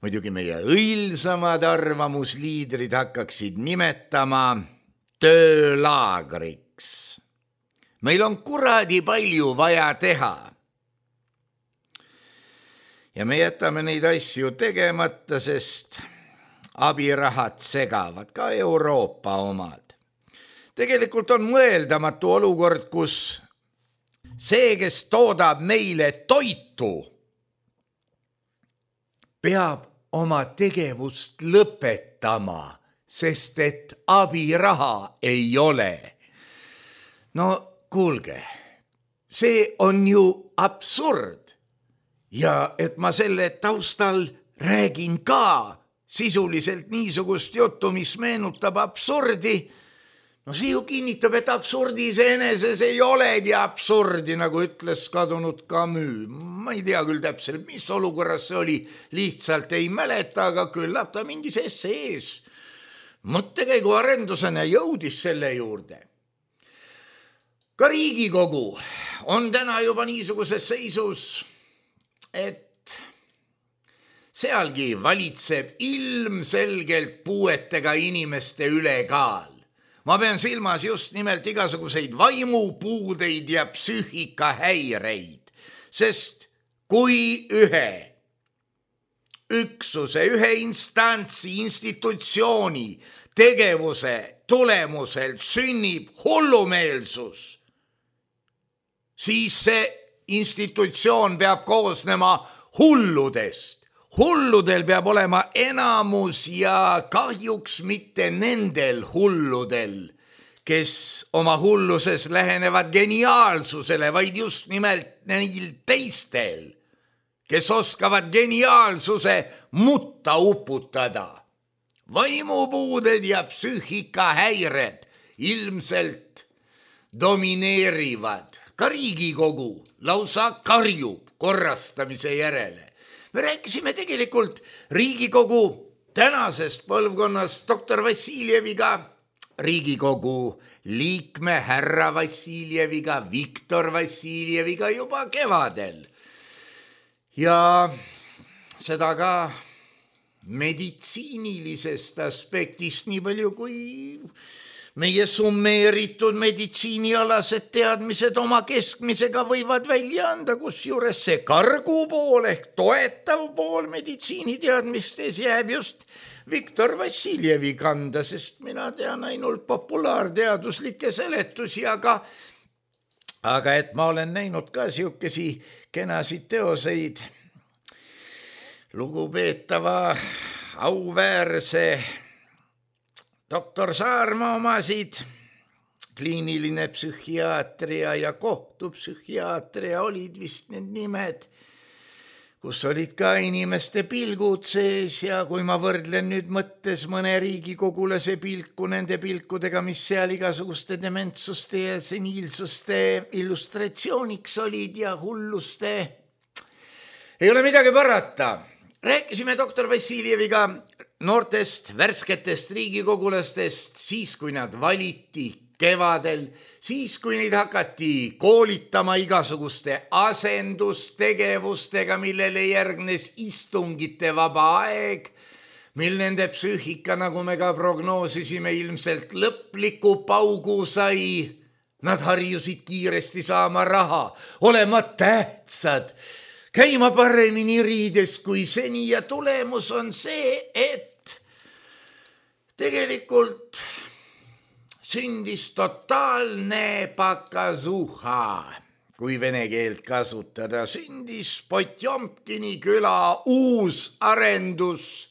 muidugi meie õilsamad arvamusliidrid hakkaksid nimetama töölaagriks. Meil on kuradi palju vaja teha. Ja me jätame neid asju tegemata, sest abirahad segavad, ka Euroopa omad. Tegelikult on mõeldamatu olukord, kus see, kes toodab meile toitu, peab oma tegevust lõpetama, sest et abiraha ei ole. No kuulge, see on ju absurd. Ja et ma selle taustal räägin ka sisuliselt niisugust juttu, mis meenutab absurdi, no see ju kinnitab, et absurdi iseeneses ei olegi absurdi, nagu ütles kadunud Camus. Ma ei tea küll täpselt, mis olukorras see oli, lihtsalt ei mäleta, aga küllap ta mingis essees mõttekäigu arendusena jõudis selle juurde. Ka Riigikogu on täna juba niisuguses seisus, et sealgi valitseb ilmselgelt puuetega inimeste ülekaal. Ma pean silmas just nimelt igasuguseid vaimupuudeid ja psüühikahäireid, sest kui ühe üksuse, ühe instantsi, institutsiooni tegevuse tulemusel sünnib hullumeelsus, siis see institutsioon peab koosnema hulludest. Hulludel peab olema enamus ja kahjuks mitte nendel hulludel, kes oma hulluses lähenevad geniaalsusele, vaid just nimelt neil teistel, kes oskavad geniaalsuse mutta uputada. Vaimupuuded ja psüühikahäired ilmselt domineerivad. Ka Riigikogu lausa karjub korrastamise järele. Me rääkisime tegelikult Riigikogu tänasest põlvkonnast doktor Vassiljeviga, Riigikogu liikme härra Vassiljeviga, Viktor Vassiljeviga juba kevadel. Ja seda ka meditsiinilisest aspektist nii palju kui meie summeeritud meditsiinialased teadmised oma keskmisega võivad välja anda, kus juures see kargu pool ehk toetav pool meditsiiniteadmistes jääb just Viktor Vassiljevi kanda, sest mina tean ainult populaarteaduslikke seletusi, aga, aga et ma olen näinud ka siukesi kenasid teoseid lugupeetava auväärse doktor Saarma omasid, kliiniline psühhiaatria ja kohtupsühhiaatria olid vist need nimed, kus olid ka inimeste pilgud sees ja kui ma võrdlen nüüd mõttes mõne riigikogulase pilku nende pilkudega, mis seal igasuguste dementsuste ja seniilsuste illustratsiooniks olid ja hulluste, ei ole midagi parata. Rääkisime doktor Vassiljeviga noortest, värsketest riigikogulastest, siis kui nad valiti kevadel, siis kui neid hakati koolitama igasuguste asendustegevustega, millele järgnes istungite vaba aeg, mil nende psüühika, nagu me ka prognoosisime, ilmselt lõpliku paugu sai. Nad harjusid kiiresti saama raha, olema tähtsad, käima paremini riides kui seni ja tulemus on see, et tegelikult sündis totaalne pakazuha, kui vene keelt kasutada, sündis Potjomkini küla uus arendus.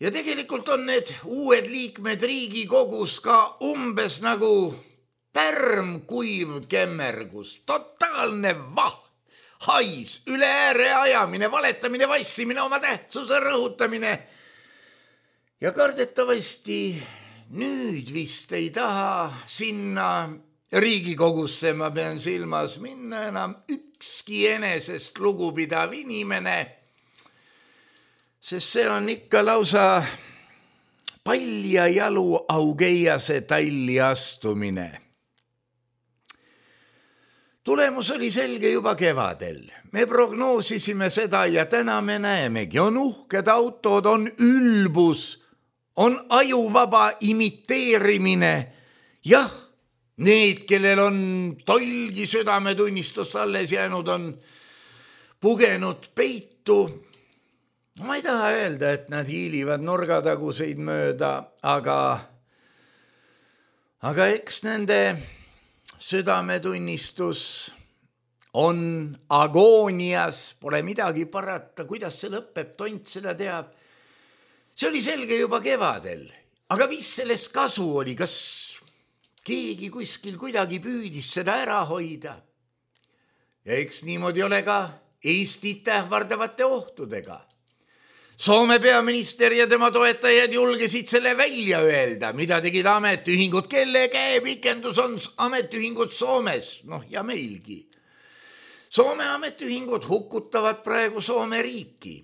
Ja tegelikult on need uued liikmed Riigikogus ka umbes nagu pärm kuiv kemmergus, totaalne vaht. Hais, üle ääre ajamine, valetamine, vassimine, oma tähtsuse rõhutamine. Ja kardetavasti nüüd vist ei taha sinna Riigikogusse, ma pean silmas minna enam ükski enesest lugupidav inimene, sest see on ikka lausa palja jalu augeiase talli astumine. Tulemus oli selge juba kevadel. Me prognoosisime seda ja täna me näemegi. On uhked autod, on ülbus, on ajuvaba imiteerimine. Jah, need, kellel on tolgi südametunnistus alles jäänud, on pugenud peitu. Ma ei taha öelda, et nad hiilivad nurgataguseid mööda, aga, aga eks nende südametunnistus on agoonias, pole midagi parata, kuidas see lõpeb, tont seda teab. See oli selge juba kevadel, aga mis sellest kasu oli, kas keegi kuskil kuidagi püüdis seda ära hoida? Ja eks niimoodi ole ka Eestit ähvardavate ohtudega. Soome peaminister ja tema toetajad julgesid selle välja öelda, mida tegid ametiühingud, kelle käepikendus on ametiühingud Soomes, noh ja meilgi. Soome ametiühingud hukutavad praegu Soome riiki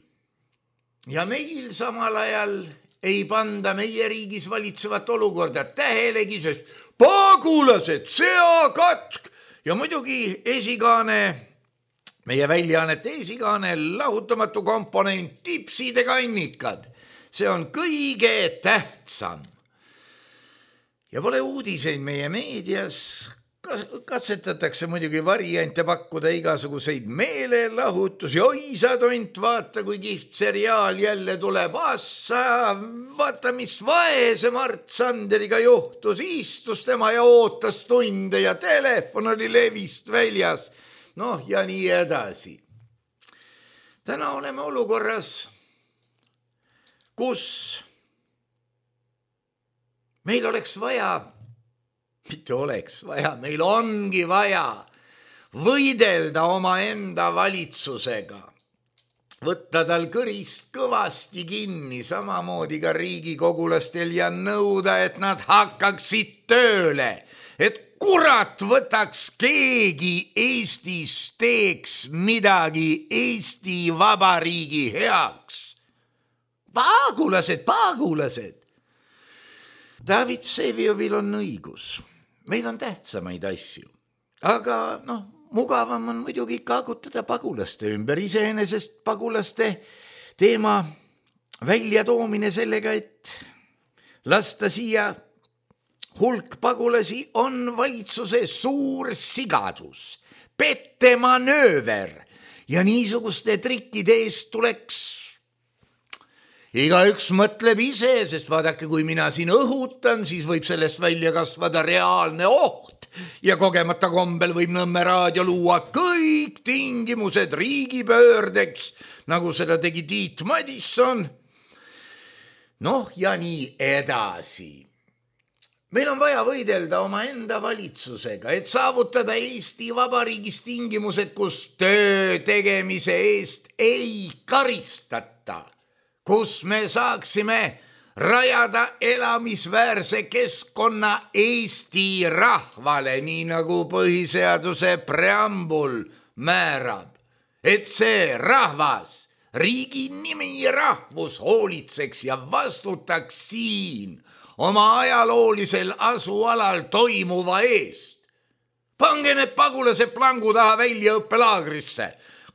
ja meil samal ajal ei panda meie riigis valitsevat olukorda tähelegi, sest pagulased, seakatk ja muidugi esikaane, meie väljaannete esikaane, lahutamatu komponent, tipsid ja kannikad. See on kõige tähtsam. Ja pole uudiseid meie meedias. Katsetatakse muidugi variante pakkuda igasuguseid meelelahutusi. Oi sa tont, vaata kui kihvt seriaal jälle tuleb. Assa, vaata mis vaese Mart Sanderiga juhtus. Istus tema ja ootas tunde ja telefon oli levist väljas. Noh ja nii edasi. Täna oleme olukorras, kus meil oleks vaja, mitte oleks vaja, meil ongi vaja võidelda oma enda valitsusega. Võtta tal kõrist kõvasti kinni, samamoodi ka riigikogulastel ja nõuda, et nad hakkaksid tööle, et kurat võtaks keegi Eestis, teeks midagi Eesti Vabariigi heaks. Pagulased, pagulased. David Vseviovil on õigus. Meil on tähtsamaid asju. Aga noh, mugavam on muidugi kaagutada pagulaste ümber. Iseenesest pagulaste teema välja toomine sellega, et lasta siia hulk pagulasi on valitsuse suur sigadus, pettemanööver ja niisuguste trikkide eest tuleks igaüks mõtleb ise, sest vaadake, kui mina siin õhutan, siis võib sellest välja kasvada reaalne oht ja kogemata kombel võib Nõmme raadio luua kõik tingimused riigipöördeks, nagu seda tegi Tiit Madisson. Noh ja nii edasi. Meil on vaja võidelda oma enda valitsusega, et saavutada Eesti Vabariigis tingimused, kus töö tegemise eest ei karistata, kus me saaksime rajada elamisväärse keskkonna Eesti rahvale, nii nagu põhiseaduse preambul määrab, et see rahvas, riigi nimi rahvus hoolitseks ja vastutaks siin oma ajaloolisel asualal toimuva eest. Pange need pagulased plangu taha väljaõppelaagrisse.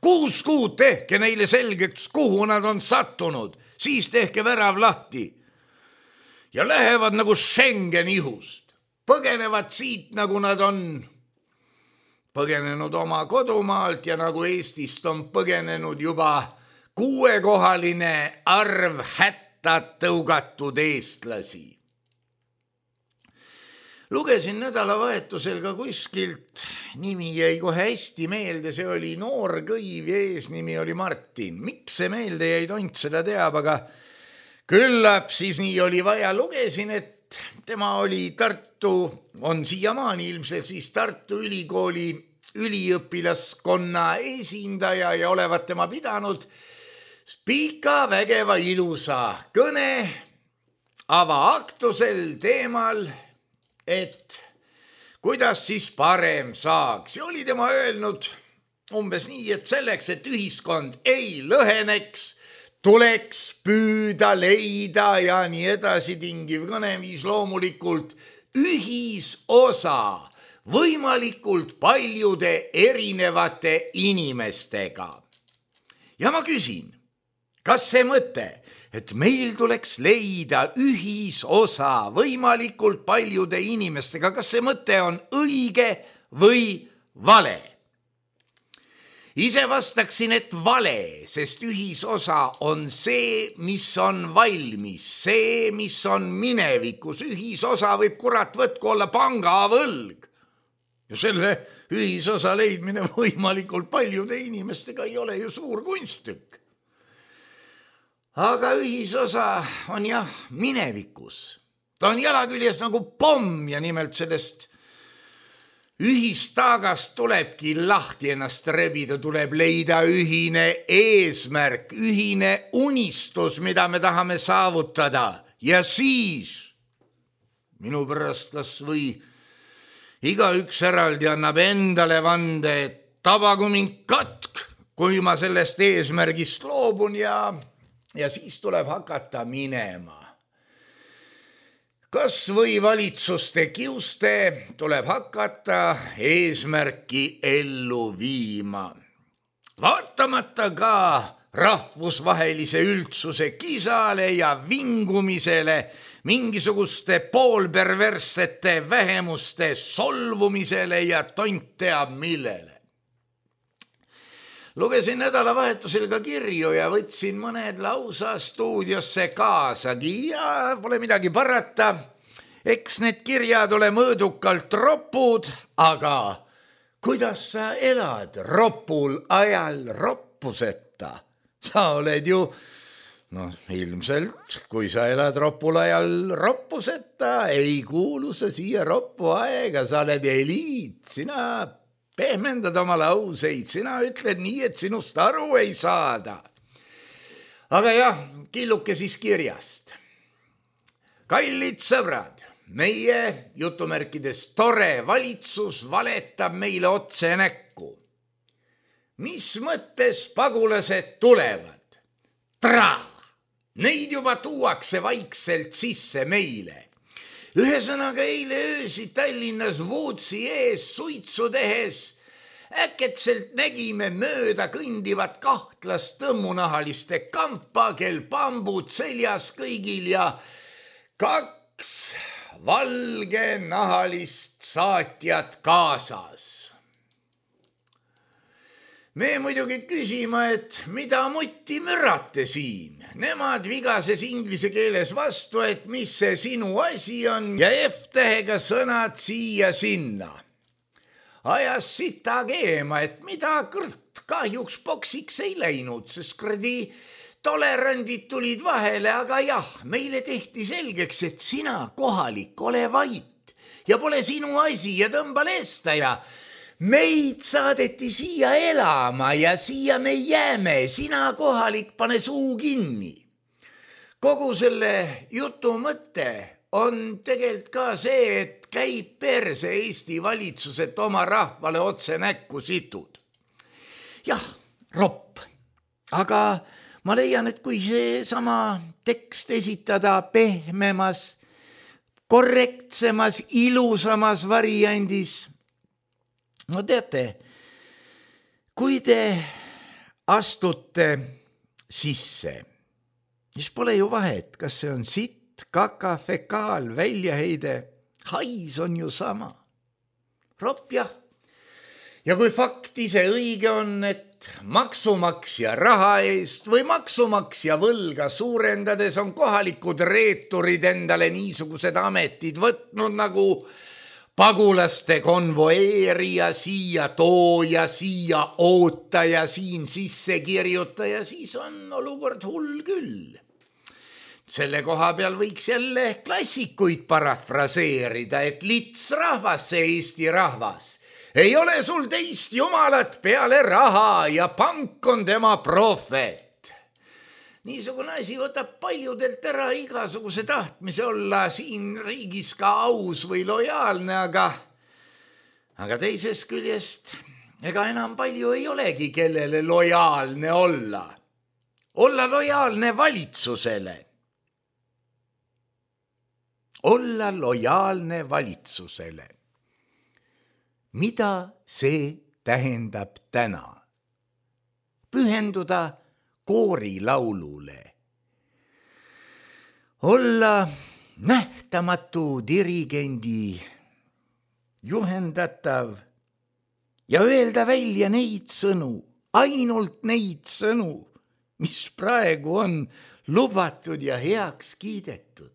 Kuus kuud tehke neile selgeks, kuhu nad on sattunud. Siis tehke värav lahti. Ja lähevad nagu Schengen ihust. Põgenevad siit, nagu nad on põgenenud oma kodumaalt ja nagu Eestist on põgenenud juba kuuekohaline arv hättad tõugatud eestlasi. Lugesin nädalavahetusel ka kuskilt, nimi jäi kohe hästi meelde, see oli noor kõiv ja eesnimi oli Martin. Miks see meelde jäi, tont seda teab, aga küllap siis nii oli vaja. Lugesin, et tema oli Tartu, on siiamaani ilmselt siis Tartu ülikooli üliõpilaskonna esindaja ja olevat tema pidanud pika, vägeva, ilusa kõne avaaktusel teemal, et kuidas siis parem saaks. Ja oli tema öelnud umbes nii, et selleks, et ühiskond ei lõheneks, tuleks püüda leida ja nii edasi tingiv kõneviis loomulikult ühisosa võimalikult paljude erinevate inimestega. Ja ma küsin, kas see mõte, et meil tuleks leida ühisosa võimalikult paljude inimestega, kas see mõte on õige või vale? Ise vastaksin, et vale, sest ühisosa on see, mis on valmis, see, mis on minevikus. Ühisosa võib kurat võtku olla pangavõlg. Ja selle ühisosa leidmine võimalikult paljude inimestega ei ole ju suur kunstükk. Aga ühisosa on jah minevikus. Ta on jalaküljes nagu pomm ja nimelt sellest ühistaagast tulebki lahti ennast rebida, tuleb leida ühine eesmärk, ühine unistus, mida me tahame saavutada. Ja siis minu pärast kas või igaüks eraldi annab endale vande, et tabagu mind katk, kui ma sellest eesmärgist loobun ja, ja siis tuleb hakata minema. Kas või valitsuste kiuste tuleb hakata eesmärki ellu viima. Vaatamata ka rahvusvahelise üldsuse kisale ja vingumisele, mingisuguste poolperverssete vähemuste solvumisele ja tont teab millele. Lugesin nädalavahetusel ka kirju ja võtsin mõned lausa stuudiosse kaasagi ja pole midagi parata. Eks need kirjad ole mõõdukalt ropud, aga kuidas sa elad ropul ajal roppuseta? Sa oled ju, noh ilmselt, kui sa elad ropul ajal roppuseta, ei kuulu sa siia roppu aega, sa oled eliit, sina pehmendad oma lauseid, sina ütled nii, et sinust aru ei saada. Aga jah, killuke siis kirjast. Kallid sõbrad, meie jutumärkides tore valitsus valetab meile otse näkku. Mis mõttes pagulased tulevad? Tra! Neid juba tuuakse vaikselt sisse meile. Ühesõnaga eile öösi Tallinnas Vootsi ees suitsu tehes äketselt nägime mööda kõndivat kahtlast tõmmunahaliste kampa, kel pambud seljas kõigil ja kaks valgenahalist saatjat kaasas. Me muidugi küsima, et mida mutti mürate siin? Nemad vigases inglise keeles vastu, et mis see sinu asi on ja F-tähega sõnad siia sinna. Ajas sita keema, et mida kõrt kahjuks boksiks ei läinud, sest kredi tolerandid tulid vahele, aga jah, meile tehti selgeks, et sina kohalik ole vait ja pole sinu asi ja tõmba lesta ja meid saadeti siia elama ja siia me jääme, sina kohalik pane suu kinni. Kogu selle jutu mõte on tegelikult ka see, et käib perse Eesti valitsuset oma rahvale otse näkku situd. Jah, ropp, aga ma leian, et kui see sama tekst esitada pehmemas, korrektsemas, ilusamas variandis, no teate, kui te astute sisse, siis pole ju vahet, kas see on sitt, kaka, fekaal, väljaheide, hais on ju sama. Ropp jah. Ja kui fakt ise õige on, et maksumaksja raha eest või maksumaksja võlga suurendades on kohalikud reeturid endale niisugused ametid võtnud nagu pagulaste konvoeerija, siia tooja, siia ootaja, siin sisse kirjutaja, siis on olukord hull küll. Selle koha peal võiks jälle klassikuid parafraseerida, et lits rahvas, see Eesti rahvas. Ei ole sul teist jumalat peale raha ja pank on tema prohvet. Niisugune asi võtab paljudelt ära igasuguse tahtmise olla siin riigis ka aus või lojaalne, aga, aga teisest küljest ega enam palju ei olegi, kellele lojaalne olla. Olla lojaalne valitsusele. Olla lojaalne valitsusele. mida see tähendab täna? Pühenduda koorilaulule. Olla nähtamatu dirigendi juhendatav ja öelda välja neid sõnu, ainult neid sõnu, mis praegu on lubatud ja heaks kiidetud.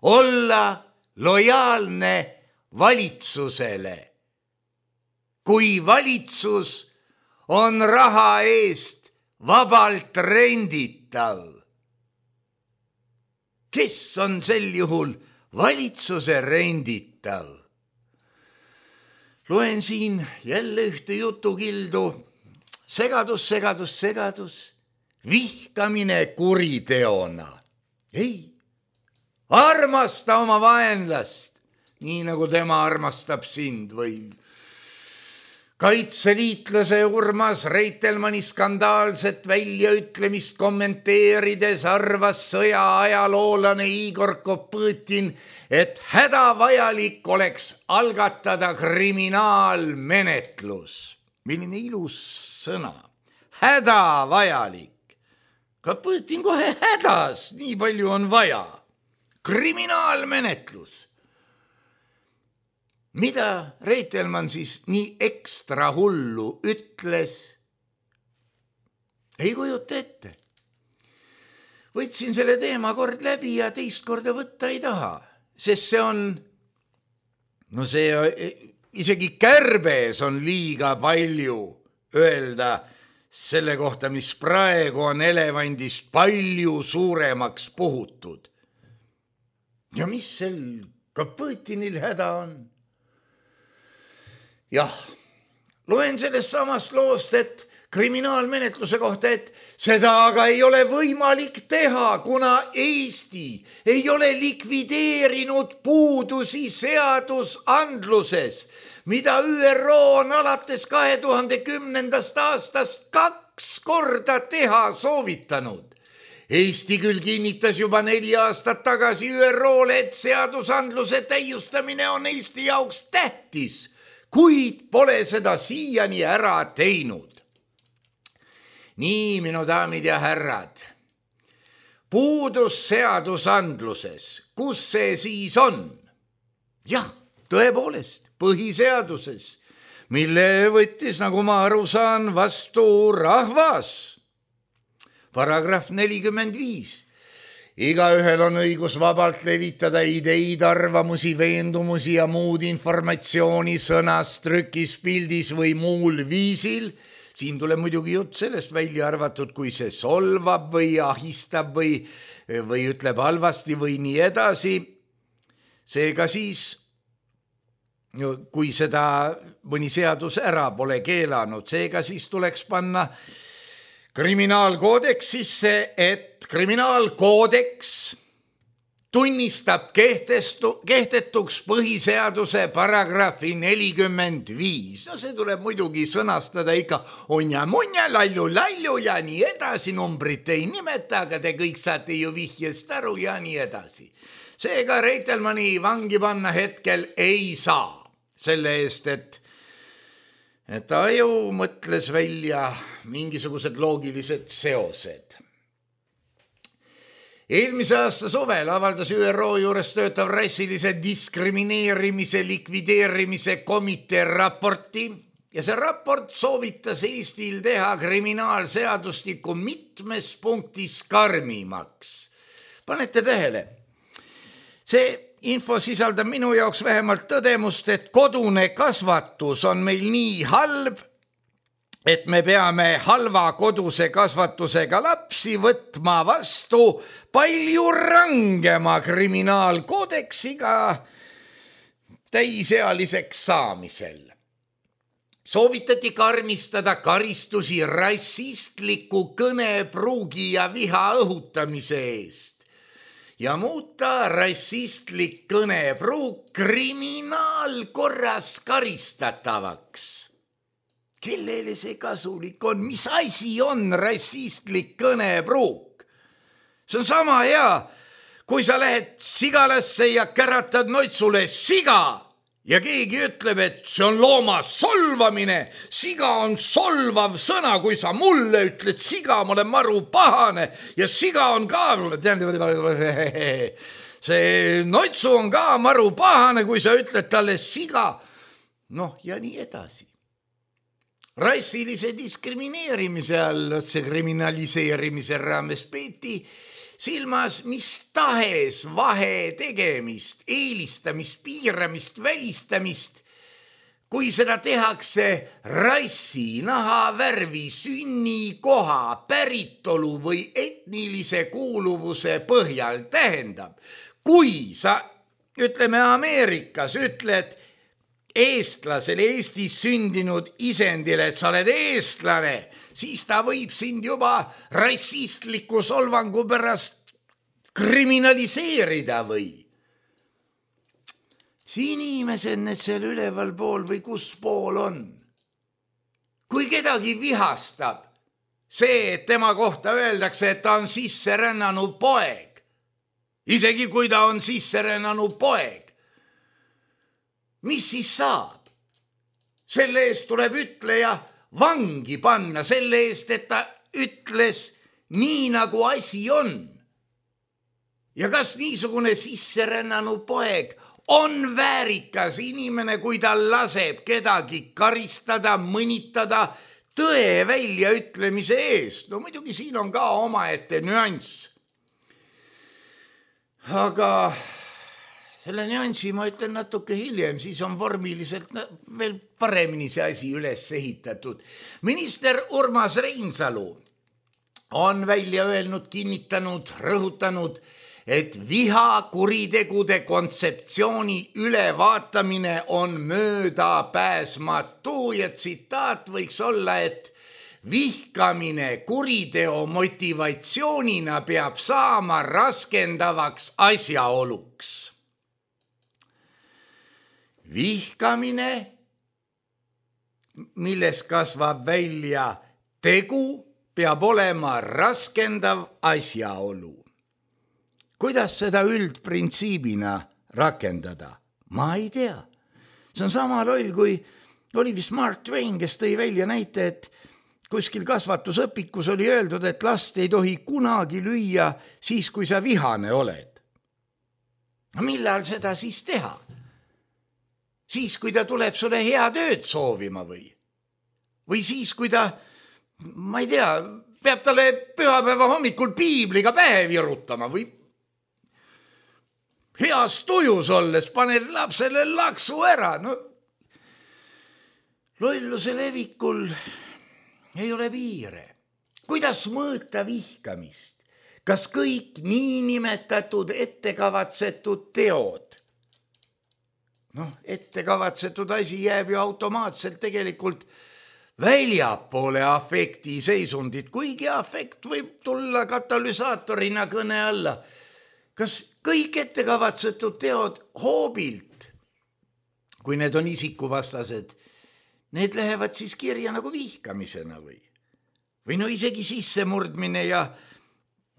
Olla lojaalne valitsusele. Kui valitsus on raha eest vabalt renditav. Kes on sel juhul valitsuse renditav? Loen siin jälle ühte jutukildu. Segadus, segadus, segadus. Vihkamine kuriteona. Ei, armasta oma vaenlast, nii nagu tema armastab sind või kaitseliitlase Urmas Reitelmanni skandaalset väljaütlemist kommenteerides arvas sõja ajaloolane Igor Kopõtin, et hädavajalik oleks algatada kriminaalmenetlus. Milline ilus sõna. Hädavajalik. Kopõtin kohe hädas, nii palju on vaja. Kriminaalmenetlus. Mida Reitelmann siis nii ekstra hullu ütles? Ei kujuta ette. Võtsin selle teema kord läbi ja teist korda võtta ei taha, sest see on, no see isegi kärbes on liiga palju öelda selle kohta, mis praegu on elevandist palju suuremaks puhutud. Ja mis sel Kopõtinil häda on? Jah, loen sellest samast loost, et kriminaalmenetluse kohta, et seda aga ei ole võimalik teha, kuna Eesti ei ole likvideerinud puudusi seadusandluses, mida Ü R O on alates kahe tuhande kümnendast aastast kaks korda teha soovitanud. Eesti küll kinnitas juba neli aastat tagasi Ü R O-le, et seadusandluse täiustamine on Eesti jaoks tähtis, kuid pole seda siiani ära teinud. Nii, minu daamid ja härrad, puudus seadusandluses, kus see siis on? Jah, tõepoolest, põhiseaduses, mille võttis, nagu ma aru saan, vastu rahvas. Paragrahv nelikümmend viis. Igaühel on õigus vabalt levitada ideid, arvamusi, veendumusi ja muud informatsiooni sõnas, trükis, pildis või muul viisil. Siin tuleb muidugi jutt sellest välja arvatud, kui see solvab või ahistab või, või ütleb halvasti või nii edasi. Seega siis, kui seda mõni seadus ära pole keelanud, seega siis tuleks panna kriminaalkoodeksisse, et kriminaalkoodeks tunnistab kehtestu, kehtetuks põhiseaduse paragrahvi nelikümmend viis. No see tuleb muidugi sõnastada ikka onja-munja, lallu-lallu ja nii edasi, numbrit ei nimeta, aga te kõik saate ju vihjest aru ja nii edasi. Seega Reitelmanni vangi panna hetkel ei saa selle eest, et et ta ju mõtles välja mingisugused loogilised seosed. Eelmise aasta suvel avaldas Ü R O juures töötav rassilise diskrimineerimise likvideerimise komitee raporti ja see raport soovitas Eestil teha kriminaalseadustikku mitmes punktis karmimaks. Panete tähele, see info sisaldab minu jaoks vähemalt tõdemust, et kodune kasvatus on meil nii halb, et me peame halva koduse kasvatusega lapsi võtma vastu palju rangema kriminaalkoodeksiga täisealiseks saamisel. Soovitati karmistada karistusi rassistliku kõnepruugi ja viha õhutamise eest ja muuta rassistlik kõnepruuk kriminaalkorras karistatavaks. Kellele see kasulik on? Mis asi on rassistlik kõnepruuk? See on sama hea, kui sa lähed sigalasse ja käratad noitsule siga ja keegi ütleb, et see on looma solvamine, siga on solvav sõna, kui sa mulle ütled siga, ma olen maru pahane ja siga on ka, see notsu on ka maru pahane, kui sa ütled talle siga, noh ja nii edasi. Rassilise diskrimineerimise all, see kriminaliseerimise raames peeti silmas mis tahes vahe tegemist, eelistamist, piiramist, välistamist, kui seda tehakse rassi, naha, värvi, sünni, koha, päritolu või etnilise kuuluvuse põhjal. Tähendab, kui sa, ütleme Ameerikas, ütled eestlasele, Eestis sündinud isendile, et sa oled eestlane, siis ta võib sind juba rassistliku solvangu pärast kriminaliseerida või. See inimesed need seal üleval pool või kus pool on. Kui kedagi vihastab see, et tema kohta öeldakse, et ta on sisse rännanud poeg, isegi kui ta on sisse rännanud poeg, mis siis saab? Selle eest tuleb ütleja vangi panna, selle eest, et ta ütles nii, nagu asi on. Ja kas niisugune sisserännanud poeg on väärikas inimene, kui ta laseb kedagi karistada, mõnitada tõe väljaütlemise eest? No muidugi siin on ka omaette nüanss. Aga selle nüansi ma ütlen natuke hiljem, siis on vormiliselt veel paremini see asi üles ehitatud. Minister Urmas Reinsalu on välja öelnud, kinnitanud, rõhutanud, et viha kuritegude kontseptsiooni ülevaatamine on möödapääsmatu ja tsitaat võiks olla, et vihkamine kuriteo motivatsioonina peab saama raskendavaks asjaoluks. Vihkamine, milles kasvab välja tegu, peab olema raskendav asjaolu. Kuidas seda üldprintsiibina rakendada? Ma ei tea. See on sama loll, kui oli vist Mark Twain, kes tõi välja näite, et kuskil kasvatusõpikus oli öeldud, et last ei tohi kunagi lüüa siis, kui sa vihane oled. Millal seda siis teha? Siis, kui ta tuleb sulle hea tööd soovima või? Või siis, kui ta, ma ei tea, peab talle pühapäeva hommikul piibliga pähe virutama või heas tujus olles paned lapsele laksu ära. No, lolluse levikul ei ole piire. Kuidas mõõta vihkamist? Kas kõik niinimetatud ettekavatsetud teod? Noh, ettekavatsetud asi jääb ju automaatselt tegelikult väljapoole afekti seisundit, kuigi afekt võib tulla katalüsaatorina kõne alla. Kas kõik ettekavatsetud teod hoobilt, kui need on isikuvastased, need lähevad siis kirja nagu vihkamisena või? Või no isegi sissemurdmine ja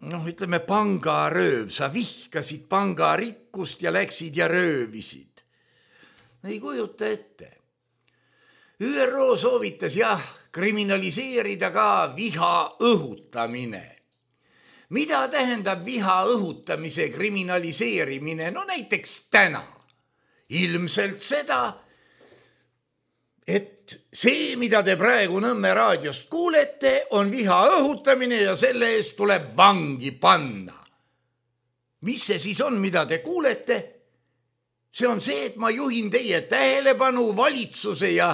noh, ütleme pangarööv, sa vihkasid pangarikkust ja läksid ja röövisid. Ei kujuta ette. Ü R O soovitas jah kriminaliseerida ka viha õhutamine. Mida tähendab viha õhutamise kriminaliseerimine? No näiteks täna. Ilmselt seda, et see, mida te praegu Nõmme raadiost kuulete, on viha õhutamine ja selle eest tuleb vangi panna. Mis see siis on, mida te kuulete? See on see, et ma juhin teie tähelepanu valitsuse ja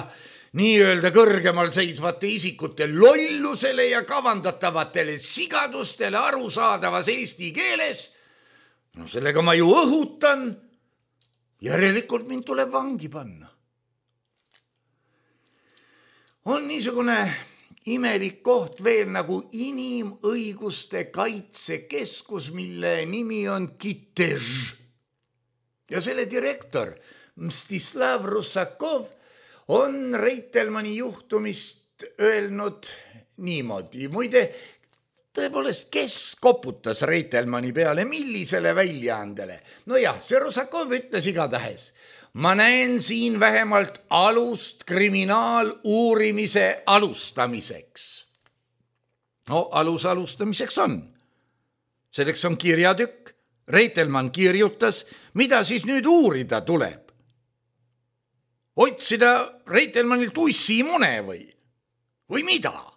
nii-öelda kõrgemal seisvate isikute lollusele ja kavandatavatele sigadustele arusaadavas eesti keeles. No sellega ma ju õhutan. Järelikult mind tuleb vangi panna. On niisugune imelik koht veel nagu inimõiguste kaitsekeskus, mille nimi on Kitež. Ja selle direktor Mstislav Rusakov on Reitelmanni juhtumist öelnud niimoodi. Muide, tõepoolest, kes koputas Reitelmanni peale, millisele väljaandele? No jah, see Rusakov ütles igatahes. ma näen siin vähemalt alust kriminaaluurimise alustamiseks. No alus alustamiseks on. Selleks on kirjatükk. Reitelmann kirjutas, mida siis nüüd uurida tuleb. Otsida Reitelmannilt ussimune või? Või mida?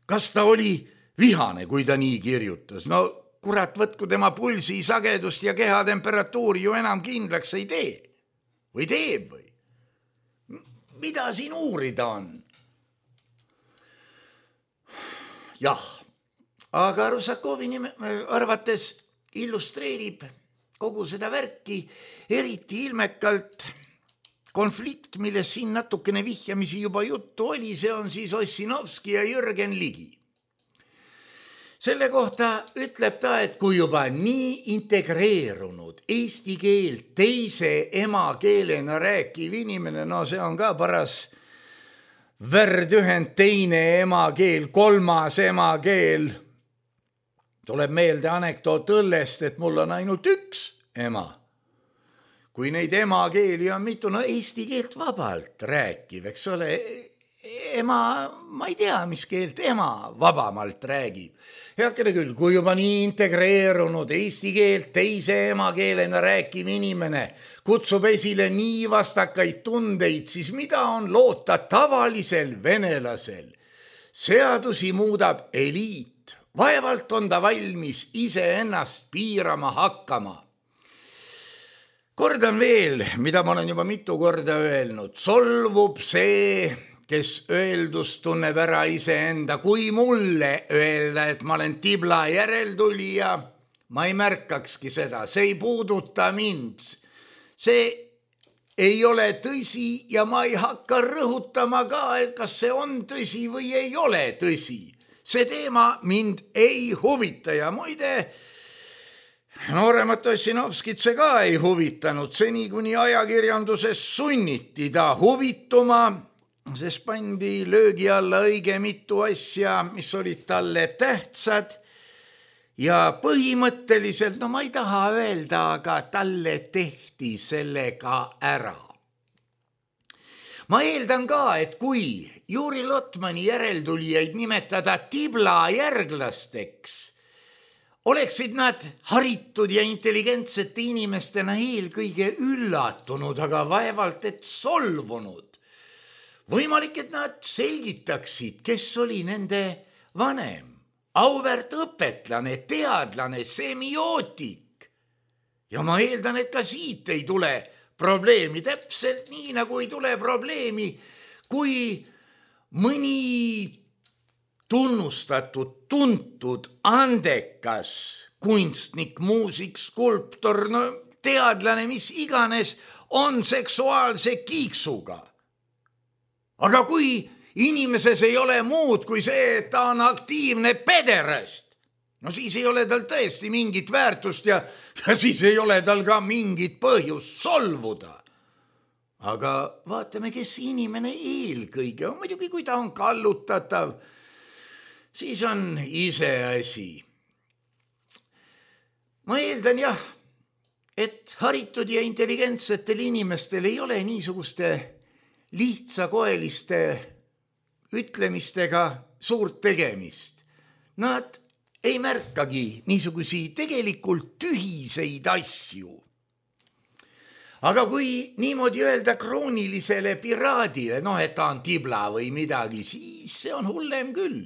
Kas ta oli vihane, kui ta nii kirjutas? No kurat, võtku tema pulsi sagedust ja kehatemperatuuri ju enam kindlaks ei tee. Või teeb või? Mida siin uurida on? Jah, aga Rusakovi nime, arvates illustreerib kogu seda värki eriti ilmekalt konflikt, milles siin natukene vihjamisi juba juttu oli, see on siis Ossinovski ja Jürgen Ligi. Selle kohta ütleb ta, et kui juba nii integreerunud eesti keelt teise emakeelena rääkiv inimene, no see on ka paras värdühend, teine emakeel, kolmas emakeel. Tuleb meelde anekdoot õllest, et mul on ainult üks ema. Kui neid emakeeli on mitu, no eesti keelt vabalt rääkiv, eks ole, ema, ma ei tea, mis keelt ema vabamalt räägib. Heakene küll, kui juba nii integreerunud eesti keelt teise emakeelena rääkiv inimene kutsub esile nii vastakaid tundeid, siis mida on loota tavalisel venelasel? Seadusi muudab eliit. Vaevalt on ta valmis ise ennast piirama hakkama. Kordan veel, mida ma olen juba mitu korda öelnud. Solvub see, kes öeldust tunneb ära iseenda. Kui mulle öelda, et ma olen tibla järeltulija, ma ei märkakski seda. See ei puuduta mind. See ei ole tõsi ja ma ei hakka rõhutama ka, et kas see on tõsi või ei ole tõsi. See teema mind ei huvita ja muide, nooremat Ossinovskit see ka ei huvitanud. Seni kuni ajakirjanduses sunniti ta huvituma, sest pandi löögi alla õige mitu asja, mis olid talle tähtsad. Ja põhimõtteliselt, no ma ei taha öelda, aga talle tehti sellega ära. Ma eeldan ka, et kui Juri Lotmani järeltulijaid nimetada tibla järglasteks, oleksid nad haritud ja intelligentsete inimestena eelkõige üllatunud, aga vaevalt et solvunud. Võimalik, et nad selgitaksid, kes oli nende vanem. Auväärt õpetlane, teadlane, semiootik. Ja ma eeldan, et ka siit ei tule probleemi, täpselt nii nagu ei tule probleemi, kui mõni tunnustatud, tuntud, andekas kunstnik, muusik, skulptor, no teadlane, mis iganes, on seksuaalse kiiksuga. Aga kui inimeses ei ole muud kui see, et ta on aktiivne pederast. No siis ei ole tal tõesti mingit väärtust ja, ja siis ei ole tal ka mingit põhjust solvuda. Aga vaatame, kes inimene eelkõige on. Muidugi, kui ta on kallutatav, siis on iseasi. Ma eeldan jah, et haritud ja intelligentsetel inimestel ei ole niisuguste lihtsakoeliste ütlemistega suurt tegemist. Nad ei märkagi niisugusi tegelikult tühiseid asju. Aga kui niimoodi öelda kroonilisele piraadile, noh, et ta on tibla või midagi, siis see on hullem küll.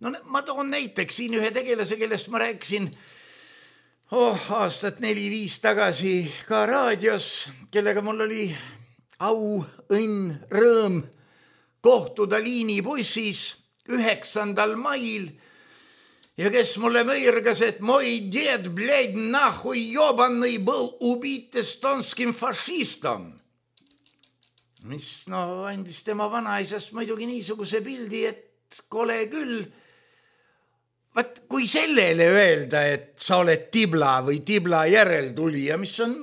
No ma toon näiteks siin ühe tegelase, kellest ma rääkisin oh, aastat neli-viis tagasi ka raadios, kellega mul oli au, õnn, rõõm kohtuda liinibussis üheksandal mail ja kes mulle mõirgas, et moi ded, bled, nahui, jobannõi был убит estonskim fašistom. Mis no, andis tema vanaisast muidugi niisuguse pildi, et kole küll. Vaat, kui sellele öelda, et sa oled tibla või tibla järeltulija, mis on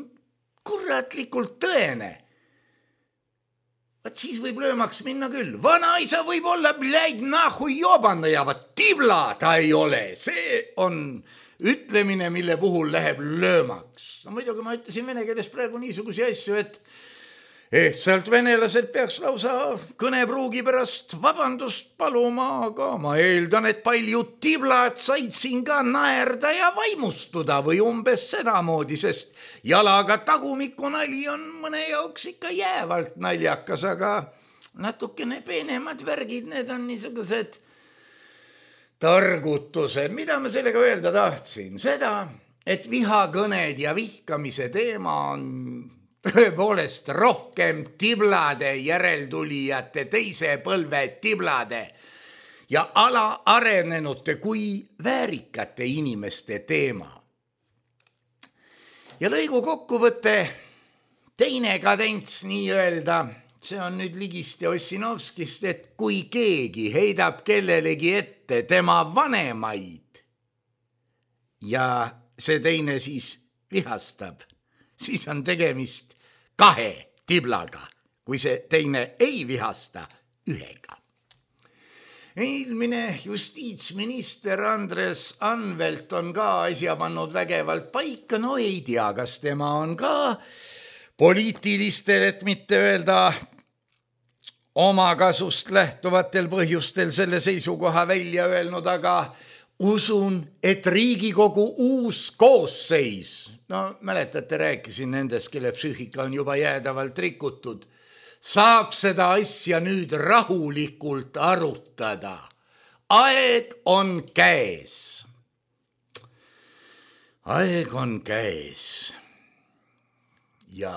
kuratlikult tõene, vaat siis võib löömaks minna küll. Vanaisa võib olla bläid nahui jobannõja, vaat tibla ta ei ole. See on ütlemine, mille puhul läheb löömaks. No muidugi ma ütlesin vene keeles praegu niisugusi asju, et ehtsalt venelased peaks lausa kõnepruugi pärast vabandust paluma, aga ma eeldan, et paljud tiblad said siin ka naerda ja vaimustuda või umbes sedamoodi, sest jalaga tagumiku nali on mõne jaoks ikka jäävalt naljakas, aga natukene peenemad värgid, need on niisugused targutused. Mida ma sellega öelda tahtsin? Seda, et vihakõned ja vihkamise teema on tõepoolest rohkem tiblade järeltulijate, teise põlve tiblade ja alaarenenute kui väärikate inimeste teema. Ja lõigu kokkuvõte, teine kadents nii-öelda, see on nüüd Ligist ja Ossinovskist, et kui keegi heidab kellelegi ette tema vanemaid ja see teine siis vihastab, siis on tegemist kahe tiblaga, kui see teine ei vihasta ühega. Eelmine justiitsminister Andres Anvelt on ka asja pannud vägevalt paika, no ei tea, kas tema on ka poliitilistel, et mitte öelda omakasust lähtuvatel põhjustel selle seisukoha välja öelnud, aga usun, et Riigikogu uus koosseis, no mäletate, rääkisin nendest, kelle psüühika on juba jäädavalt rikutud, saab seda asja nüüd rahulikult arutada. Aeg on käes. Aeg on käes. Ja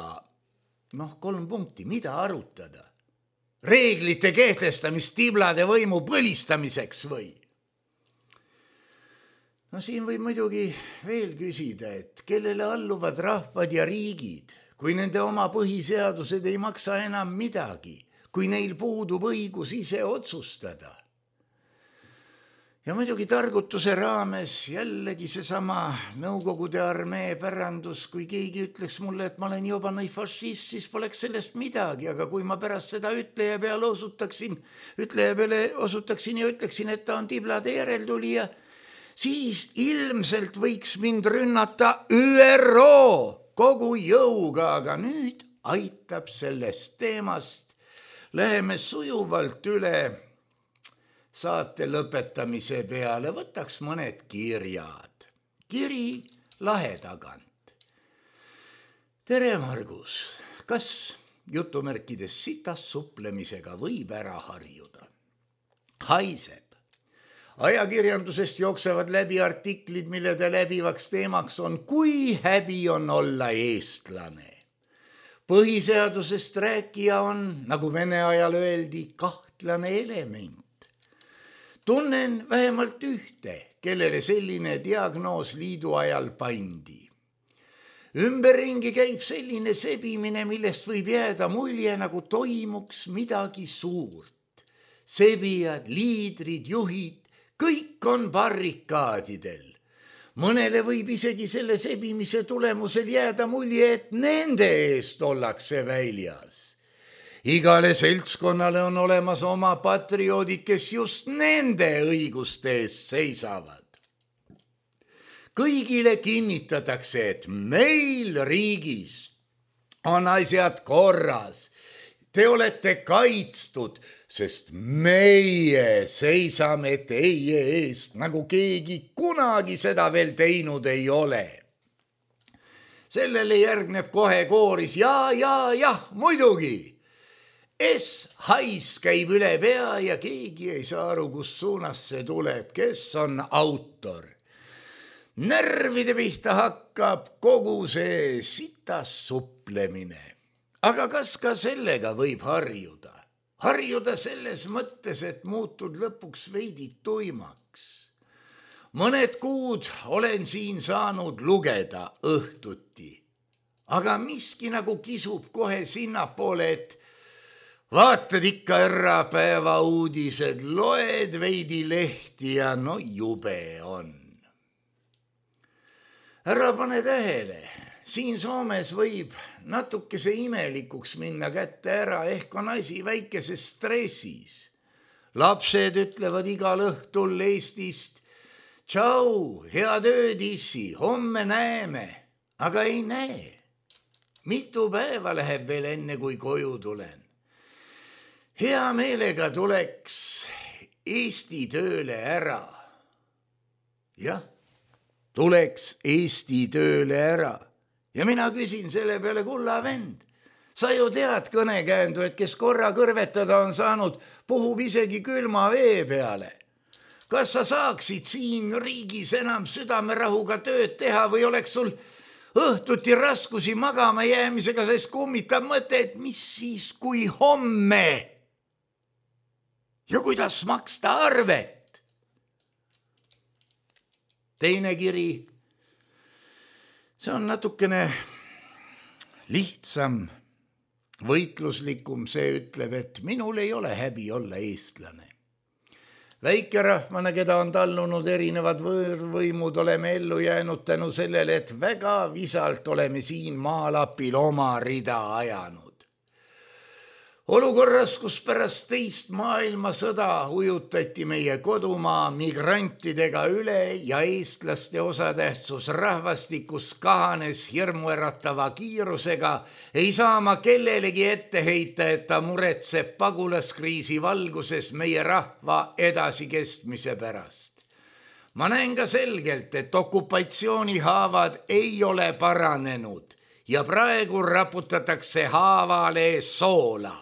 noh, kolm punkti, mida arutada? Reeglite kehtestamist tiblade võimu põlistamiseks või? No siin võib muidugi veel küsida, et kellele alluvad rahvad ja riigid, kui nende oma põhiseadused ei maksa enam midagi, kui neil puudub õigus ise otsustada. Ja muidugi targutuse raames jällegi seesama Nõukogude armee pärandus, kui keegi ütleks mulle, et ma olen juba nõi fašist, siis poleks sellest midagi, aga kui ma pärast seda ütleja peale osutaksin, ütleja peale osutaksin ja ütleksin, et ta on tiblade järeltulija, siis ilmselt võiks mind rünnata Ü R O kogu jõuga, aga nüüd aitab sellest teemast. Läheme sujuvalt üle saate lõpetamise peale, võtaks mõned kirjad. Kiri Lahe tagant. Tere, Margus, kas jutumärkides sitas suplemisega võib ära harjuda? Haiseb. Ajakirjandusest jooksevad läbi artiklid, millede läbivaks teemaks on, kui häbi on olla eestlane. Põhiseadusest rääkija on, nagu Vene ajal öeldi, kahtlane element. Tunnen vähemalt ühte, kellele selline diagnoos liidu ajal pandi. Ümberringi käib selline sebimine, millest võib jääda mulje, nagu toimuks midagi suurt. Sebijad, liidrid, juhid, kõik on barrikaadidel. Mõnele võib isegi selle sebimise tulemusel jääda mulje, et nende eest ollakse väljas. Igale seltskonnale on olemas oma patrioodid, kes just nende õiguste eest seisavad. Kõigile kinnitatakse, et meil riigis on asjad korras. Te olete kaitstud, sest meie seisame teie eest, nagu keegi kunagi seda veel teinud ei ole. Sellele järgneb kohe kooris, ja, ja, jah, muidugi. S-hais käib üle pea ja keegi ei saa aru, kus suunas see tuleb, kes on autor. Närvide pihta hakkab kogu see sitas suplemine. Aga kas ka sellega võib harjuda? Harjuda selles mõttes, et muutud lõpuks veidi tuimaks. Mõned kuud olen siin saanud lugeda õhtuti, aga miski nagu kisub kohe sinnapoole, et vaatad ikka ärapäeva uudised, loed veidi lehti ja no jube on. Ära pane tähele. Siin Soomes võib natukese imelikuks minna kätte ära, ehk on asi väikeses stressis. Lapsed ütlevad igal õhtul Eestist Tšau, head ööd, issi, homme näeme, aga ei näe. Mitu päeva läheb veel enne, kui koju tulen. Hea meelega tuleks Eesti tööle ära. Jah, tuleks Eesti tööle ära. Ja mina küsin selle peale, kulla vend. Sa ju tead kõnekäändu, et kes korra kõrvetada on saanud, puhub isegi külma vee peale. Kas sa saaksid siin riigis enam südamerahuga tööd teha või oleks sul õhtuti raskusi magama jäämisega, sest kummitab mõte, et mis siis kui homme? Ja kuidas maksta arvet? Teine kiri. See on natukene lihtsam, võitluslikum, see ütleb, et minul ei ole häbi olla eestlane. Väikerahvana, keda on tallunud erinevad võõrvõimud, oleme ellu jäänud tänu sellele, et väga visalt oleme siin maalapil oma rida ajanud. Olukorras, kus pärast teist maailmasõda ujutati meie kodumaa migrantidega üle ja eestlaste osatähtsus rahvastikus kahanes hirmuäratava kiirusega, ei saa ma kellelegi ette heita, et ta muretseb pagulaskriisi valguses meie rahva edasikestmise pärast. Ma näen ka selgelt, et okupatsioonihaavad ei ole paranenud ja praegu raputatakse haavale soola.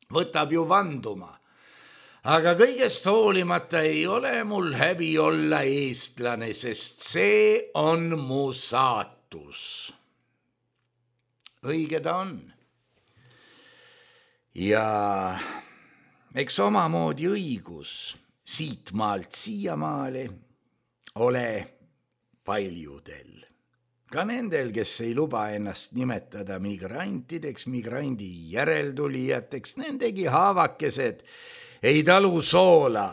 Võtab ju vanduma. Aga kõigest hoolimata ei ole mul häbi olla eestlane, sest see on mu saatus. Õige ta on. Ja eks omamoodi õigus siit maalt siiamaale ole paljudel. Ka nendel, kes ei luba ennast nimetada migrantideks, migrandi järeltulijateks, nendegi haavakesed ei talu soola.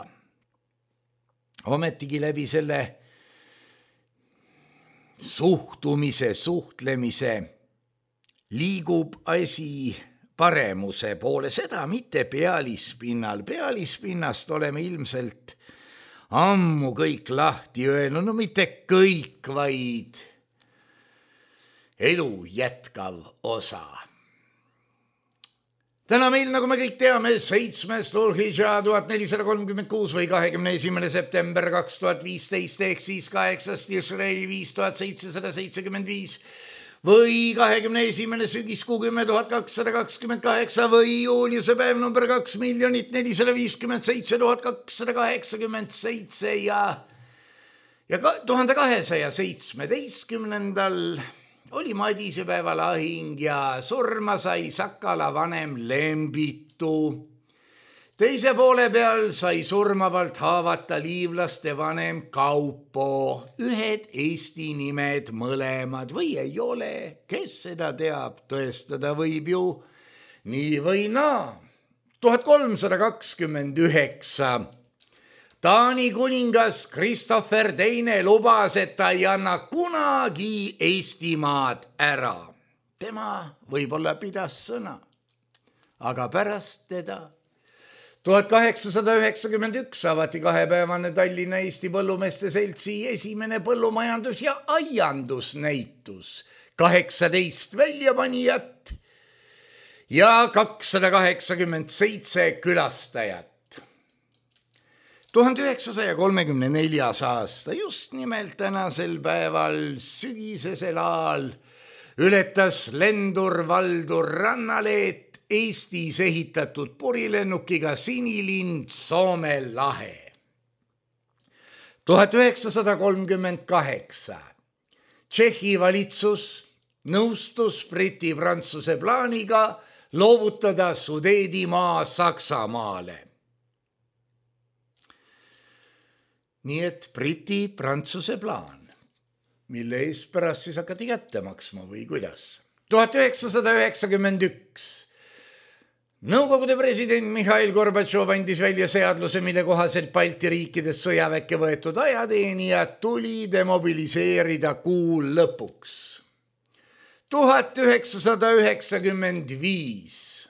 Ometigi läbi selle suhtumise, suhtlemise liigub asi paremuse poole, seda mitte pealispinnal. Pealispinnast oleme ilmselt ammu kõik lahti öelnud, no mitte kõik, vaid elu jätkav osa. Täna meil, nagu me kõik teame, seitsmes Dhul-Hijjah tuhat nelisada kolmkümmend kuus või kahekümne esimene september kaks tuhat viisteist ehk siis kaheksas Tishrei viis tuhat seitsesada seitsekümmend viis või kahekümne esimene sügiskuu kümme tuhat kakssada kakskümmend kaheksa või juuliuse päev number kaks miljonit nelisada viiskümmend seitse tuhat kakssada kaheksakümmend seitse ja ja tuhande kahesaja seitsmeteistkümnendal oli Madisepäeva lahing ja surma sai Sakala vanem Lembitu. Teise poole peal sai surmavalt haavata liivlaste vanem Kaupo. Ühed Eesti nimed mõlemad või ei ole, kes seda teab, tõestada võib ju nii või naa. tuhat kolmsada kakskümmend üheksa Taani kuningas Christopher teine lubas, et ta ei anna kunagi Eestimaad ära. Tema võib-olla pidas sõna, aga pärast teda tuhat kaheksasada üheksakümmend üks avati kahepäevane Tallinna Eesti Põllumeeste Seltsi esimene põllumajandus- ja aiandusnäitus. kaheksateist väljapanijat ja kakssada kaheksakümmend seitse külastajat. tuhande üheksasaja kolmekümne neljas aasta, just nimelt tänasel päeval, sügisesel ajal, ületas lendur Valdur Rannaleet Eestis ehitatud purilennukiga Sinilind Soome lahe. tuhat üheksasada kolmkümmend kaheksa Tšehhi valitsus nõustus Briti-Prantsuse plaaniga loovutada Sudeedimaa Saksamaale. Nii et Briti-Prantsuse plaan, mille eest pärast siis hakati kätte maksma või kuidas. tuhat üheksasada üheksakümmend üks Nõukogude president Mihhail Gorbatšov andis välja seadluse, mille kohaselt Balti riikides sõjaväkke võetud ajateenijad tuli demobiliseerida kuu lõpuks. tuhat üheksasada üheksakümmend viis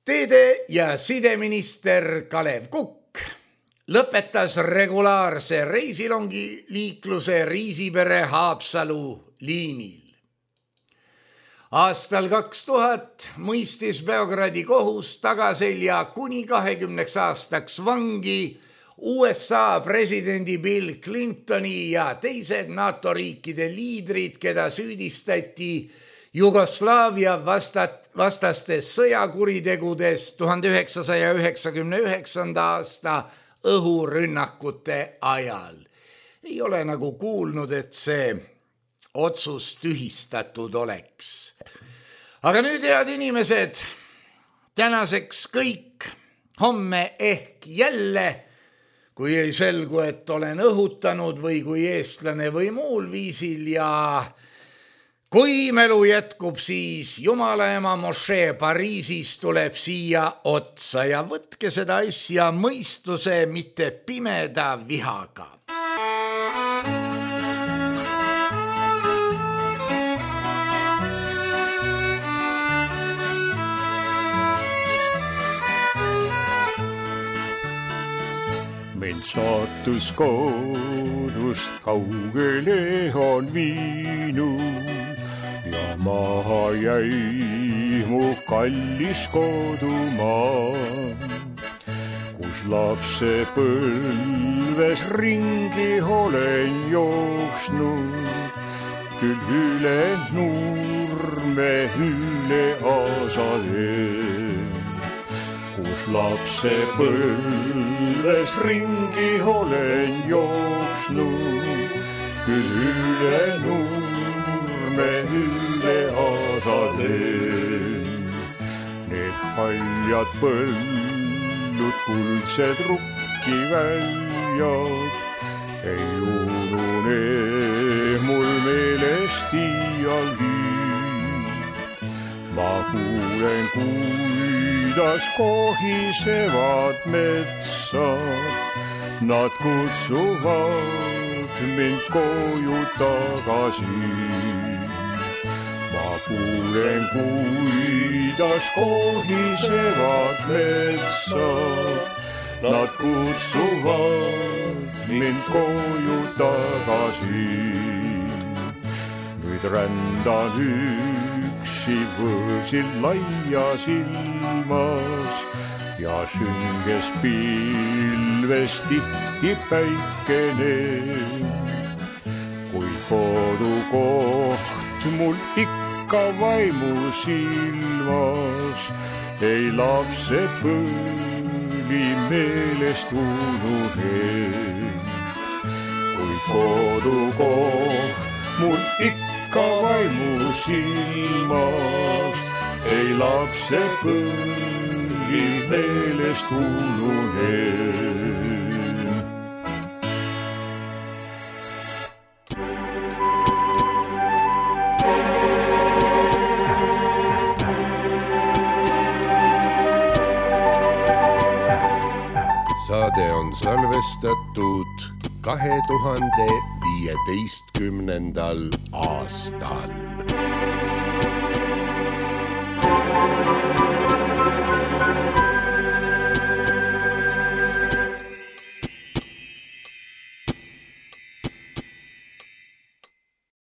Teede- ja sideminister Kalev Kukk lõpetas regulaarse reisilongi liikluse Riisipere Haapsalu liinil. Aastal kaks tuhat mõistis Beogradi kohus tagaselja kuni kahekümneks aastaks vangi U S A presidendi Bill Clintoni ja teised NATO riikide liidrid, keda süüdistati Jugoslaavia vastat, vastastes sõjakuritegudes tuhande üheksasaja üheksakümne üheksanda aasta õhurünnakute ajal. Ei ole nagu kuulnud, et see otsus tühistatud oleks. Aga nüüd, head inimesed, tänaseks kõik, homme ehk jälle, kui ei selgu, et olen õhutanud või kui eestlane või muul viisil ja kui melu jätkub, siis Jumala ema mošee Pariisis tuleb siia otsa ja võtke seda asja mõistuse, mitte pimeda vihaga. Mind saatus kodust kaugele on viinud ja maha jäi mu kallis kodumaa, kus lapse põlves ringi olen jooksnud, küll üle nurme, üle aasale. Kus lapse põlves ringi olen jooksnud, küll üle nurme, üle aasale. Need haljad põllud, kuldsed rukkiväljad, ei unune mul meelest iialgi. Ma kuulen, kuidas kohisevad metsad, nad kutsuvad mind koju tagasi. Ma kuulen, kuidas kohisevad metsad, nad kutsuvad mind koju tagasi. Nüüd rändan üksi võõrsil laias ilmas ja sünges pilves tihti päikene. Kuid kodukoht mul ikka vaimus ilmas, ei lapse põli meelest unune. Kuid kodukoht mul ikka vaimus ilmas, ei lapse põli meelest unune. Saade on salvestatud kahe tuhande viieteistkümnendal aastal.